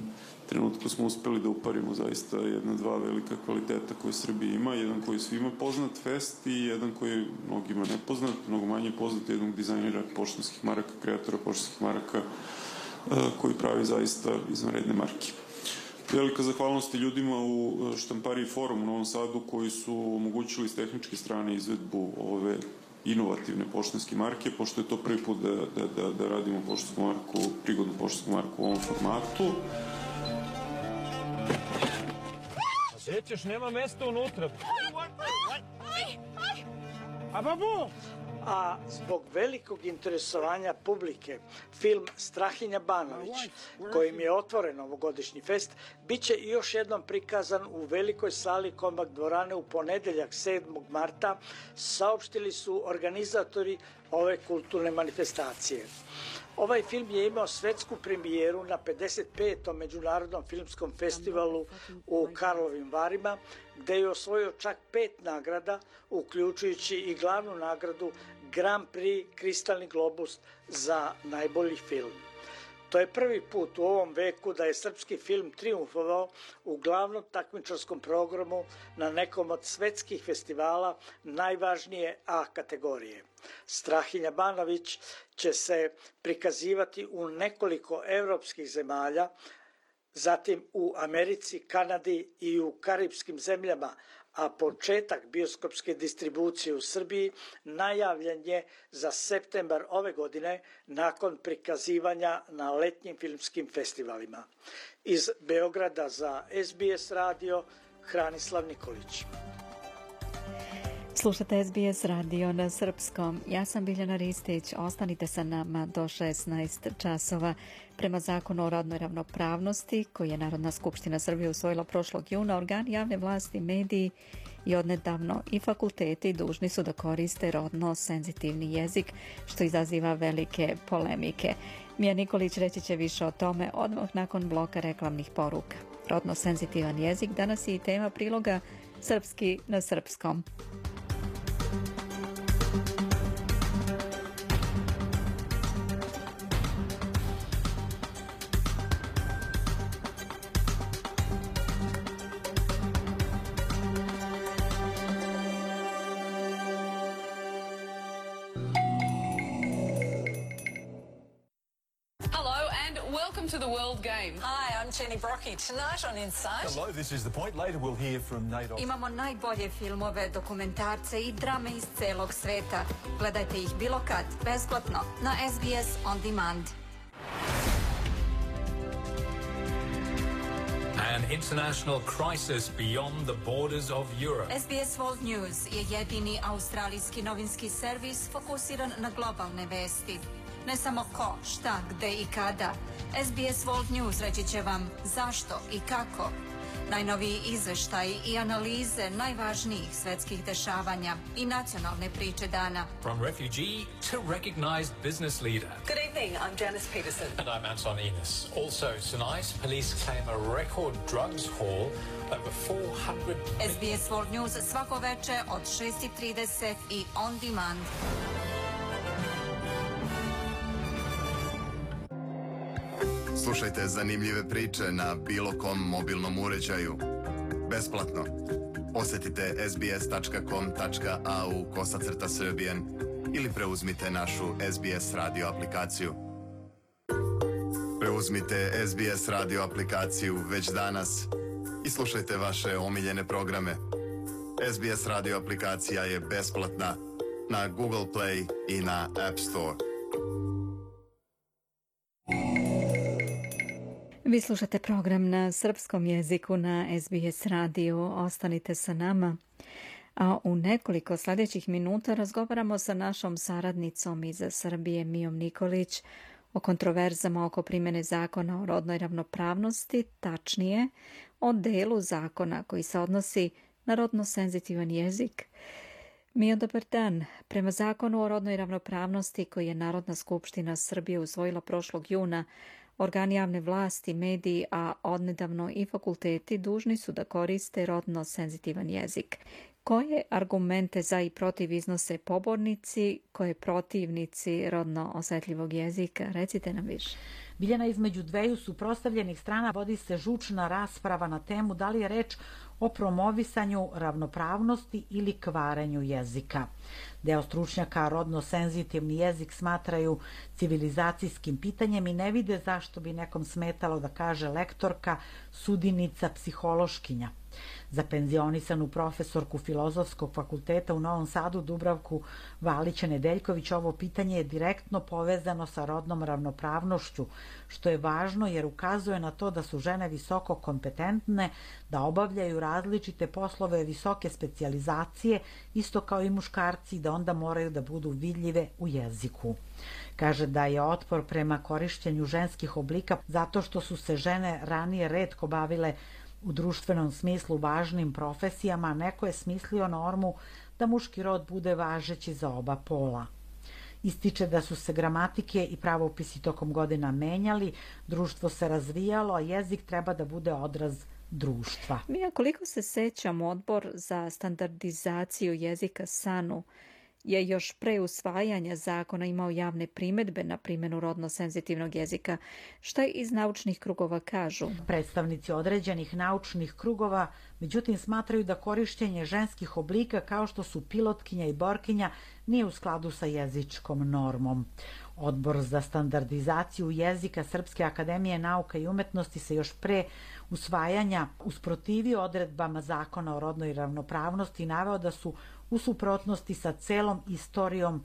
trenutku smo uspeli da uparimo zaista dva velika kvaliteta koje Srbija ima, jedan koji je svima poznat Fest i jedan koji je mnogima nepoznat, mnogo manje poznat, jednog dizajnera poštanskih maraka, kreatora poštanskih maraka koji pravi zaista izvanredne marke. Velika zahvalnost ljudima u štampariji Forum u Novom Sadu koji su omogućili s tehničke strane izvedbu ove inovativne poštanske marke, pošto je to prvi put da radimo poštansku marku, prigodnu poštansku marku u ovom formatu. Gdje ćeš, nema mesta unutra. A babu! A zbog velikog interesovanja publike, film Strahinja Banović, kojim je otvoren ovogodišnji fest, bit će još jednom prikazan u velikoj sali Kombak dvorane u ponedeljak 7. marta, saopštili su organizatori ove kulturne manifestacije. Ovaj film je imao svetsku premijeru na 55. Međunarodnom filmskom festivalu u Karlovim Varima, gde je osvojio čak 5 nagrada, uključujući i glavnu nagradu Grand Prix Kristalni globus za najbolji film. To je prvi put u ovom veku da je srpski film triumfovao u glavnom takmičarskom programu na nekom od svetskih festivala najvažnije A kategorije. Strahinja Banović će se prikazivati u nekoliko evropskih zemalja, zatim u Americi, Kanadi i u karipskim zemljama, a početak bioskopske distribucije u Srbiji najavljen je za septembar ove godine nakon prikazivanja na letnjim filmskim festivalima. Iz Beograda za SBS radio, Hranislav Nikolić. Slušate SBS radio na srpskom. Ja sam Biljana Ristić. Ostanite sa nama do 16 časova. Prema zakonu o rodnoj ravnopravnosti, koji je Narodna skupština Srbije usvojila prošlog juna, organi javne vlasti, mediji i odnedavno i fakulteti dužni su da koriste rodno senzitivni jezik, što izaziva velike polemike. Mija Nikolić reći će više o tome odmah nakon bloka reklamnih poruka. Rodno senzitivan jezik danas je i tema priloga Srpski na srpskom. To the World Game. Hi, I'm Jenny Brockie. Tonight on Insight. Hello, this is The Point. Later we'll hear from Nate. Imamo najbolje filmove, dokumentarce i drame iz celog sveta. Gledajte ih bilo kad, besplatno, na SBS On Demand. An international crisis beyond the borders of Europe. SBS World News je jedini australijski novinski servis fokusiran na globalne vesti. Ne samo ko, šta, gde i kada. SBS World News reći će vam zašto i kako. Najnoviji izveštaji i analize najvažnijih svetskih dešavanja i nacionalne priče dana. From refugee to recognized business leader. Good evening, I'm Janice Peterson. And I'm Anton Enos. Also tonight, police claim a record drugs haul over 400... SBS World News svako veče od 6:30 i on demand. Slušajte zanimljive priče na bilo kom mobilnom uređaju. Besplatno. Posjetite sbs.com.au/Serbian ili preuzmite našu SBS radio aplikaciju. Preuzmite SBS radio aplikaciju već danas i slušajte vaše omiljene programe. SBS radio aplikacija je besplatna na Google Play i na App Store. Vi slušate program na srpskom jeziku na SBS radiju. Ostanite sa nama. A u nekoliko sljedećih minuta razgovaramo sa našom saradnicom iz Srbije, Mijom Nikolić, o kontroverzama oko primjene zakona o rodnoj ravnopravnosti, tačnije o delu zakona koji se odnosi na rodno senzitivan jezik. Mijo, dobar dan. Prema zakonu o rodnoj ravnopravnosti koji je Narodna skupština Srbije usvojila prošlog juna, organi javne vlasti, mediji, a odnedavno i fakulteti dužni su da koriste rodno senzitivan jezik. Koje argumente za i protiv iznose pobornici, koje protivnici rodno osetljivog jezika? Recite nam više. Biljana, između dveju suprotstavljenih strana vodi se žučna rasprava na temu da li je reč o promovisanju ravnopravnosti ili kvarenju jezika. Deo stručnjaka rodno senzitivni jezik smatraju civilizacijskim pitanjem i ne vide zašto bi nekom smetalo da kaže lektorka, sudinica, psihološkinja. Za penzionisanu profesorku Filozofskog fakulteta u Novom Sadu Dubravku Valić-Nedeljković ovo pitanje je direktno povezano sa rodnom ravnopravnošću, što je važno jer ukazuje na to da su žene visoko kompetentne, da obavljaju različite poslove visoke specijalizacije, isto kao i muškarci, i da onda moraju da budu vidljive u jeziku. Kaže da je otpor prema korišćenju ženskih oblika zato što su se žene ranije retko bavile u društvenom smislu važnim profesijama, neko je smislio normu da muški rod bude važeći za oba pola. Ističe da su se gramatike i pravopisi tokom godina menjali, društvo se razvijalo, a jezik treba da bude odraz društva. Mija, koliko se sećam, Odbor za standardizaciju jezika SANU je još pre usvajanja zakona imao javne primedbe na primjenu rodno senzitivnog jezika. Šta iz naučnih krugova kažu? Predstavnici određenih naučnih krugova, međutim, smatraju da korišćenje ženskih oblika kao što su pilotkinja i borkinja nije u skladu sa jezičkom normom. Odbor za standardizaciju jezika Srpske akademije nauka i umetnosti se još pre usvajanja usprotivio odredbama zakona o rodnoj ravnopravnosti i naveo da su u suprotnosti sa celom istorijom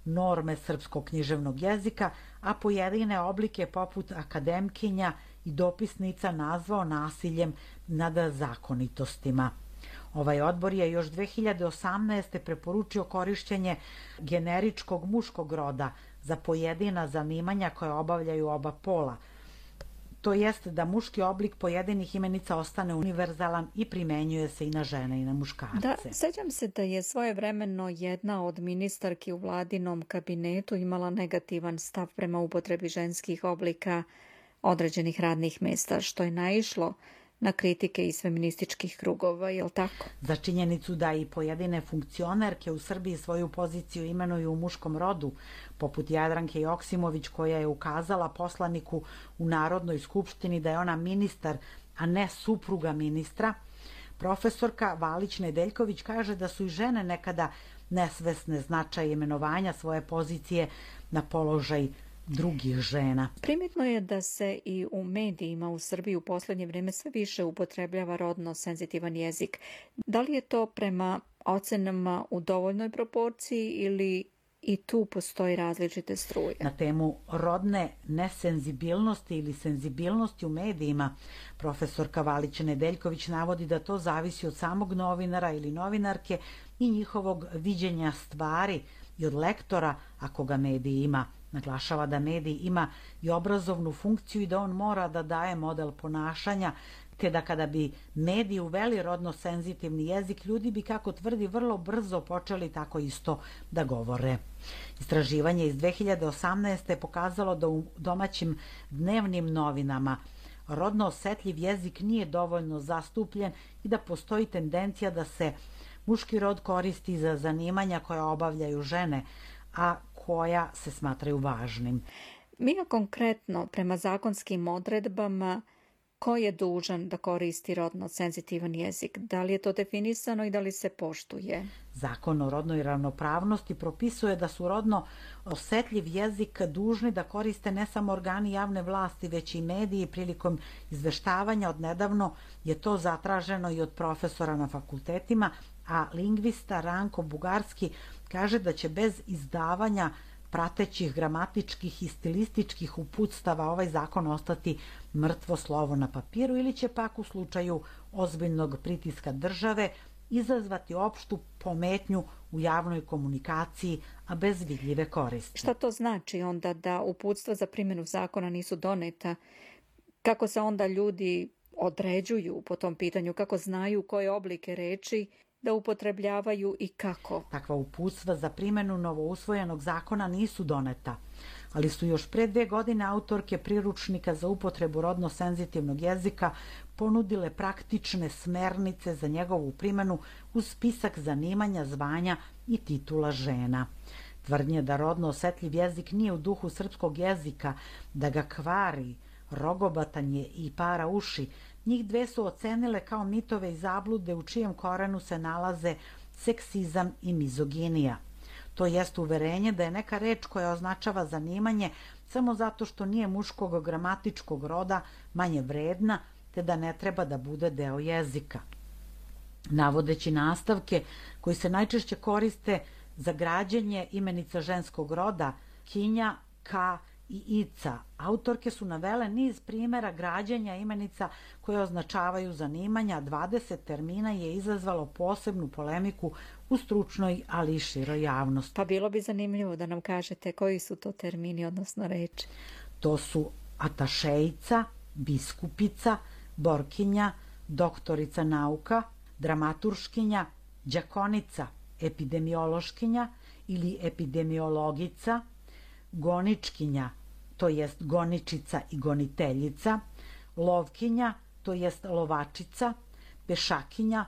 norme srpskog književnog jezika, a pojedine oblike poput akademkinja i dopisnica nazvao nasiljem nad zakonitostima. Ovaj odbor je još 2018. preporučio korišćenje generičkog muškog roda za pojedina zanimanja koje obavljaju oba pola. To jest da muški oblik pojedinih imenica ostane univerzalan i primenjuje se i na žene i na muškarce. Da, sećam se da je svojevremeno jedna od ministarki u vladinom kabinetu imala negativan stav prema upotrebi ženskih oblika određenih radnih mesta, što je naišlo na kritike iz feminističkih krugova, je li tako? Za činjenicu da i pojedine funkcionerke u Srbiji svoju poziciju imenuju u muškom rodu, poput Jadranke Joksimović koja je ukazala poslaniku u Narodnoj skupštini da je ona ministar, a ne supruga ministra, profesorka Valić-Nedeljković kaže da su i žene nekada nesvesne značaja imenovanja svoje pozicije na položaj drugih žena. Primetno je da se i u medijima u Srbiji u posljednje vrijeme sve više upotrebljava rodno senzitivan jezik. Da li je to prema ocenama u dovoljnoj proporciji ili i tu postoji različite struje? Na temu rodne nesenzibilnosti ili senzibilnosti u medijima, profesorka Valić-Nedeljković navodi da to zavisi od samog novinara ili novinarke i njihovog viđenja stvari i od lektora ako ga medij ima. Naglašava da medij ima i obrazovnu funkciju i da on mora da daje model ponašanja, te da kada bi mediji uveli rodno senzitivni jezik, ljudi bi, kako tvrdi, vrlo brzo počeli tako isto da govore. Istraživanje iz 2018. je pokazalo da u domaćim dnevnim novinama rodno osetljiv jezik nije dovoljno zastupljen i da postoji tendencija da se muški rod koristi za zanimanja koja obavljaju žene, a koja se smatraju važnim. Mija, konkretno, prema zakonskim odredbama, ko je dužan da koristi rodno senzitivan jezik? Da li je to definisano i da li se poštuje? Zakon o rodnoj ravnopravnosti propisuje da su rodno osetljiv jezik dužni da koriste ne samo organi javne vlasti, već i mediji prilikom izveštavanja. Odnedavno je to zatraženo i od profesora na fakultetima, a lingvista Ranko Bugarski kaže da će bez izdavanja pratećih gramatičkih i stilističkih uputstava ovaj zakon ostati mrtvo slovo na papiru ili će pak u slučaju ozbiljnog pritiska države izazvati opštu pometnju u javnoj komunikaciji, a bez vidljive koristi. Šta to znači onda da uputstva za primjenu zakona nisu doneta? Kako se onda ljudi određuju po tom pitanju? Kako znaju koje oblike reči da upotrebljavaju i kako? Takva uputstva za primjenu novousvojenog zakona nisu doneta, ali su još pre 2 godine autorke priručnika za upotrebu rodno senzitivnog jezika ponudile praktične smernice za njegovu primjenu uz spisak zanimanja, zvanja i titula žena. Tvrdnje da rodno osetljiv jezik nije u duhu srpskog jezika, da ga kvari, rogobatanje i para uši, Njih dve su ocenile kao mitove i zablude u čijem korenu se nalaze seksizam i mizoginija. To jest uverenje da je neka reč koja označava zanimanje samo zato što nije muškog gramatičkog roda manje vredna, te da ne treba da bude deo jezika. Navodeći nastavke koji se najčešće koriste za građenje imenica ženskog roda, kinja, ka i ica, autorke su navele niz primjera građenja imenica koje označavaju zanimanja, 20 termina je izazvalo posebnu polemiku u stručnoj, ali i široj javnosti. Pa bilo bi zanimljivo da nam kažete koji su to termini, odnosno reči. To su atašejica, biskupica, borkinja, doktorica nauka, dramaturškinja, đakonica, epidemiološkinja ili epidemiologica, goničkinja, to jest goničica i goniteljica, lovkinja, to jest lovačica, pešakinja,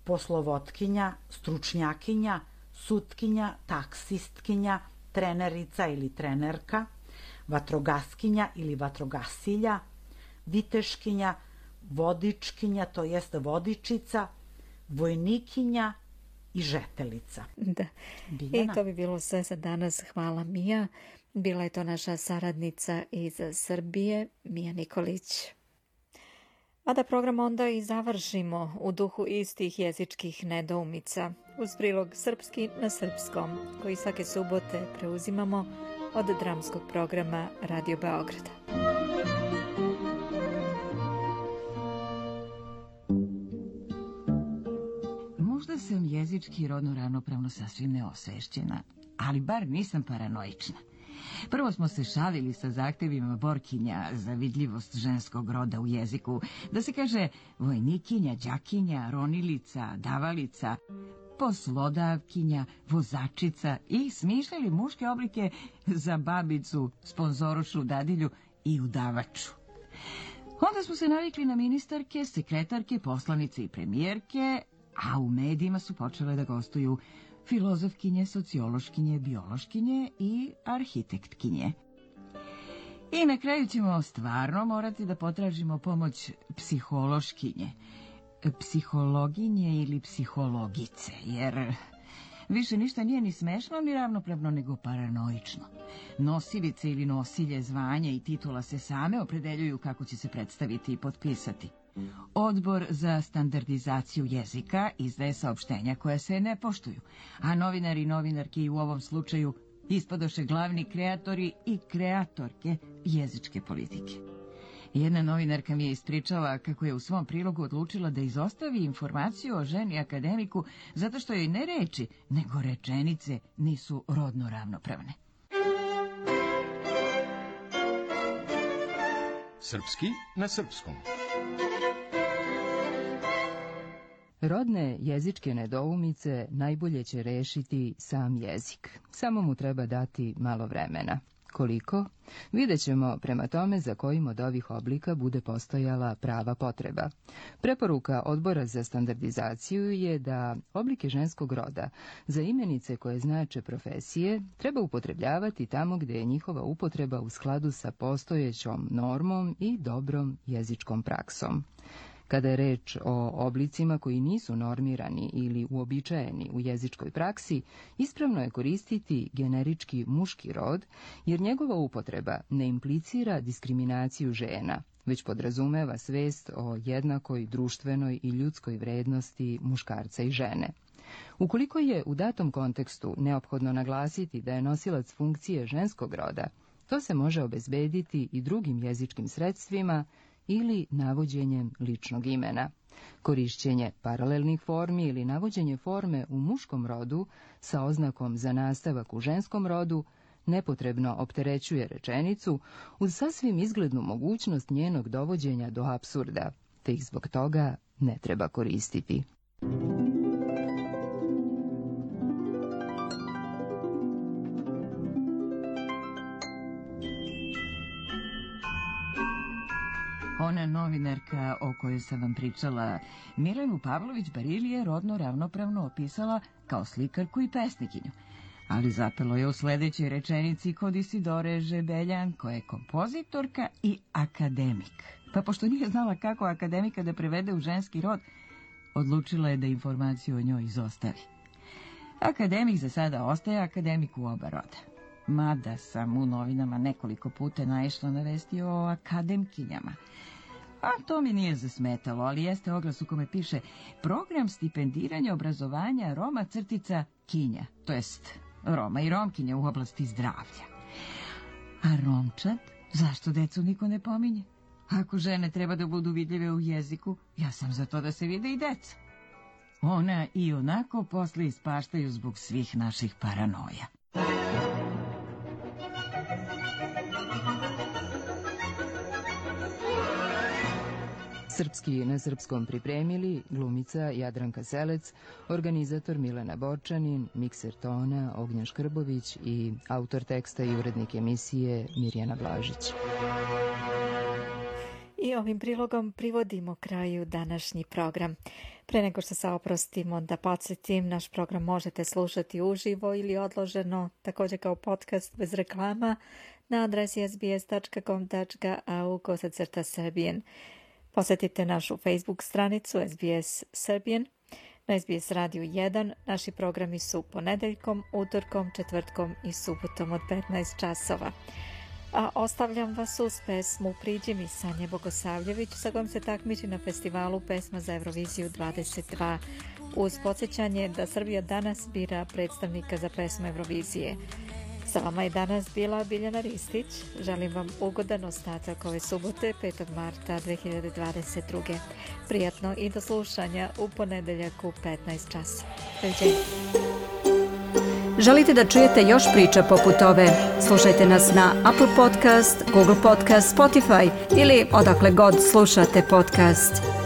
poslovotkinja, stručnjakinja, sutkinja, taksistkinja, trenerica ili trenerka, vatrogaskinja ili vatrogasilja, viteškinja, vodičkinja, to jest vodičica, vojnikinja i žetelica. Da. I to bi bilo sve za danas. Hvala, Mija. Bila je to naša saradnica iz Srbije, Mija Nikolić. A da program onda i završimo u duhu istih jezičkih nedoumica uz prilog Srpski na srpskom, koji svake subote preuzimamo od dramskog programa Radio Beograda. Možda sam jezički i rodno ravnopravno sasvim neosvešćena, ali bar nisam paranoična. Prvo smo se šalili sa zahtevima borkinja za vidljivost ženskog roda u jeziku, da se kaže vojnikinja, đakinja, ronilica, davalica, poslodavkinja, vozačica i smišljali muške oblike za babicu, sponzorušu, dadilju i udavaču. Onda smo se navikli na ministarke, sekretarke, poslanice i premijerke, a u medijima su počele da gostuju filozofkinje, sociološkinje, biološkinje i arhitektkinje. I na kraju ćemo stvarno morati da potražimo pomoć psihološkinje, psihologinje ili psihologice, jer više ništa nije ni smešno ni ravnopravno nego paranoično. Nosilice ili nosilje zvanja i titula se same opredeljuju kako će se predstaviti i potpisati. Odbor za standardizaciju jezika izdaje saopštenja koja se ne poštuju, a novinari i novinarke i u ovom slučaju ispadoše glavni kreatori i kreatorke jezičke politike. Jedna novinarka mi je ispričala kako je u svom prilogu odlučila da izostavi informaciju o ženi akademiku zato što joj ne reči, nego rečenice nisu rodno ravnopravne. Srpski na srpskom. Rodne jezičke nedoumice najbolje će rešiti sam jezik. Samo mu treba dati malo vremena. Koliko? Vidjet ćemo prema tome za kojim od ovih oblika bude postojala prava potreba. Preporuka Odbora za standardizaciju je da oblike ženskog roda za imenice koje znače profesije treba upotrebljavati tamo gde je njihova upotreba u skladu sa postojećom normom i dobrom jezičkom praksom. Kada je reč o oblicima koji nisu normirani ili uobičajeni u jezičkoj praksi, ispravno je koristiti generički muški rod, jer njegova upotreba ne implicira diskriminaciju žena, već podrazumeva svest o jednakoj društvenoj i ljudskoj vrednosti muškarca i žene. Ukoliko je u datom kontekstu neophodno naglasiti da je nosilac funkcije ženskog roda, to se može obezbediti i drugim jezičkim sredstvima ili navođenjem ličnog imena. Korišćenje paralelnih formi ili navođenje forme u muškom rodu sa oznakom za nastavak u ženskom rodu nepotrebno opterećuje rečenicu uz sasvim izglednu mogućnost njenog dovođenja do apsurda, te ih zbog toga ne treba koristiti. Ona novinarka o kojoj sam vam pričala, Milenu Pavlović-Barili, je rodno ravnopravno opisala kao slikarku i pesnikinju. Ali zapelo je u sledećoj rečenici kod Isidore Žebeljan, koja je kompozitorka i akademik. Pa pošto nije znala kako akademika da prevede u ženski rod, odlučila je da informaciju o njoj izostavi. Akademik za sada ostaje akademik u oba roda. Mada sam u novinama nekoliko puta naišla na vesti o akademkinjama. A to mi nije zasmetalo, ali jeste oglas u kome piše program stipendiranja obrazovanja Roma crtica kinja, to jest Roma i Romkinja u oblasti zdravlja. A Romčad? Zašto decu niko ne pominje? Ako žene treba da budu vidljive u jeziku, ja sam za to da se vide i deca. Ona i onako posle ispaštaju zbog svih naših paranoja. Srpski na srpskom pripremili glumica Jadranka Selec, organizator Milena Borčanin, mikser tona Ognjan Škrbović i autor teksta i urednik emisije Mirjana Blažić. I ovim prilogom privodimo kraju današnji program. Pre nego što se oprostimo, da podsjetim, naš program možete slušati uživo ili odloženo, također kao podcast bez reklama, na adresi sbs.com.au/Serbian. Posjetite našu Facebook stranicu SBS Serbian. Na SBS Radio 1 naši programi su ponedeljkom, utorkom, četvrtkom i subotom od 15 časova. A ostavljam vas uz pesmu Priđi mi Sanje Bogosavljević, sa kojom se takmiči na festivalu Pesma za Euroviziju 22, uz podsjećanje da Srbija danas bira predstavnika za pesmu Eurovizije. Sa vama je danas bila Biljana Ristić. Želim vam ugodan ostatak ove subote, 5. marta 2022. Prijatno i do slušanja u ponedeljak u 15 časa. Doviđenja. Želite da čujete još priča poput ove? Slušajte nas na Apple Podcast, Google Podcast, Spotify ili odakle god slušate podcast.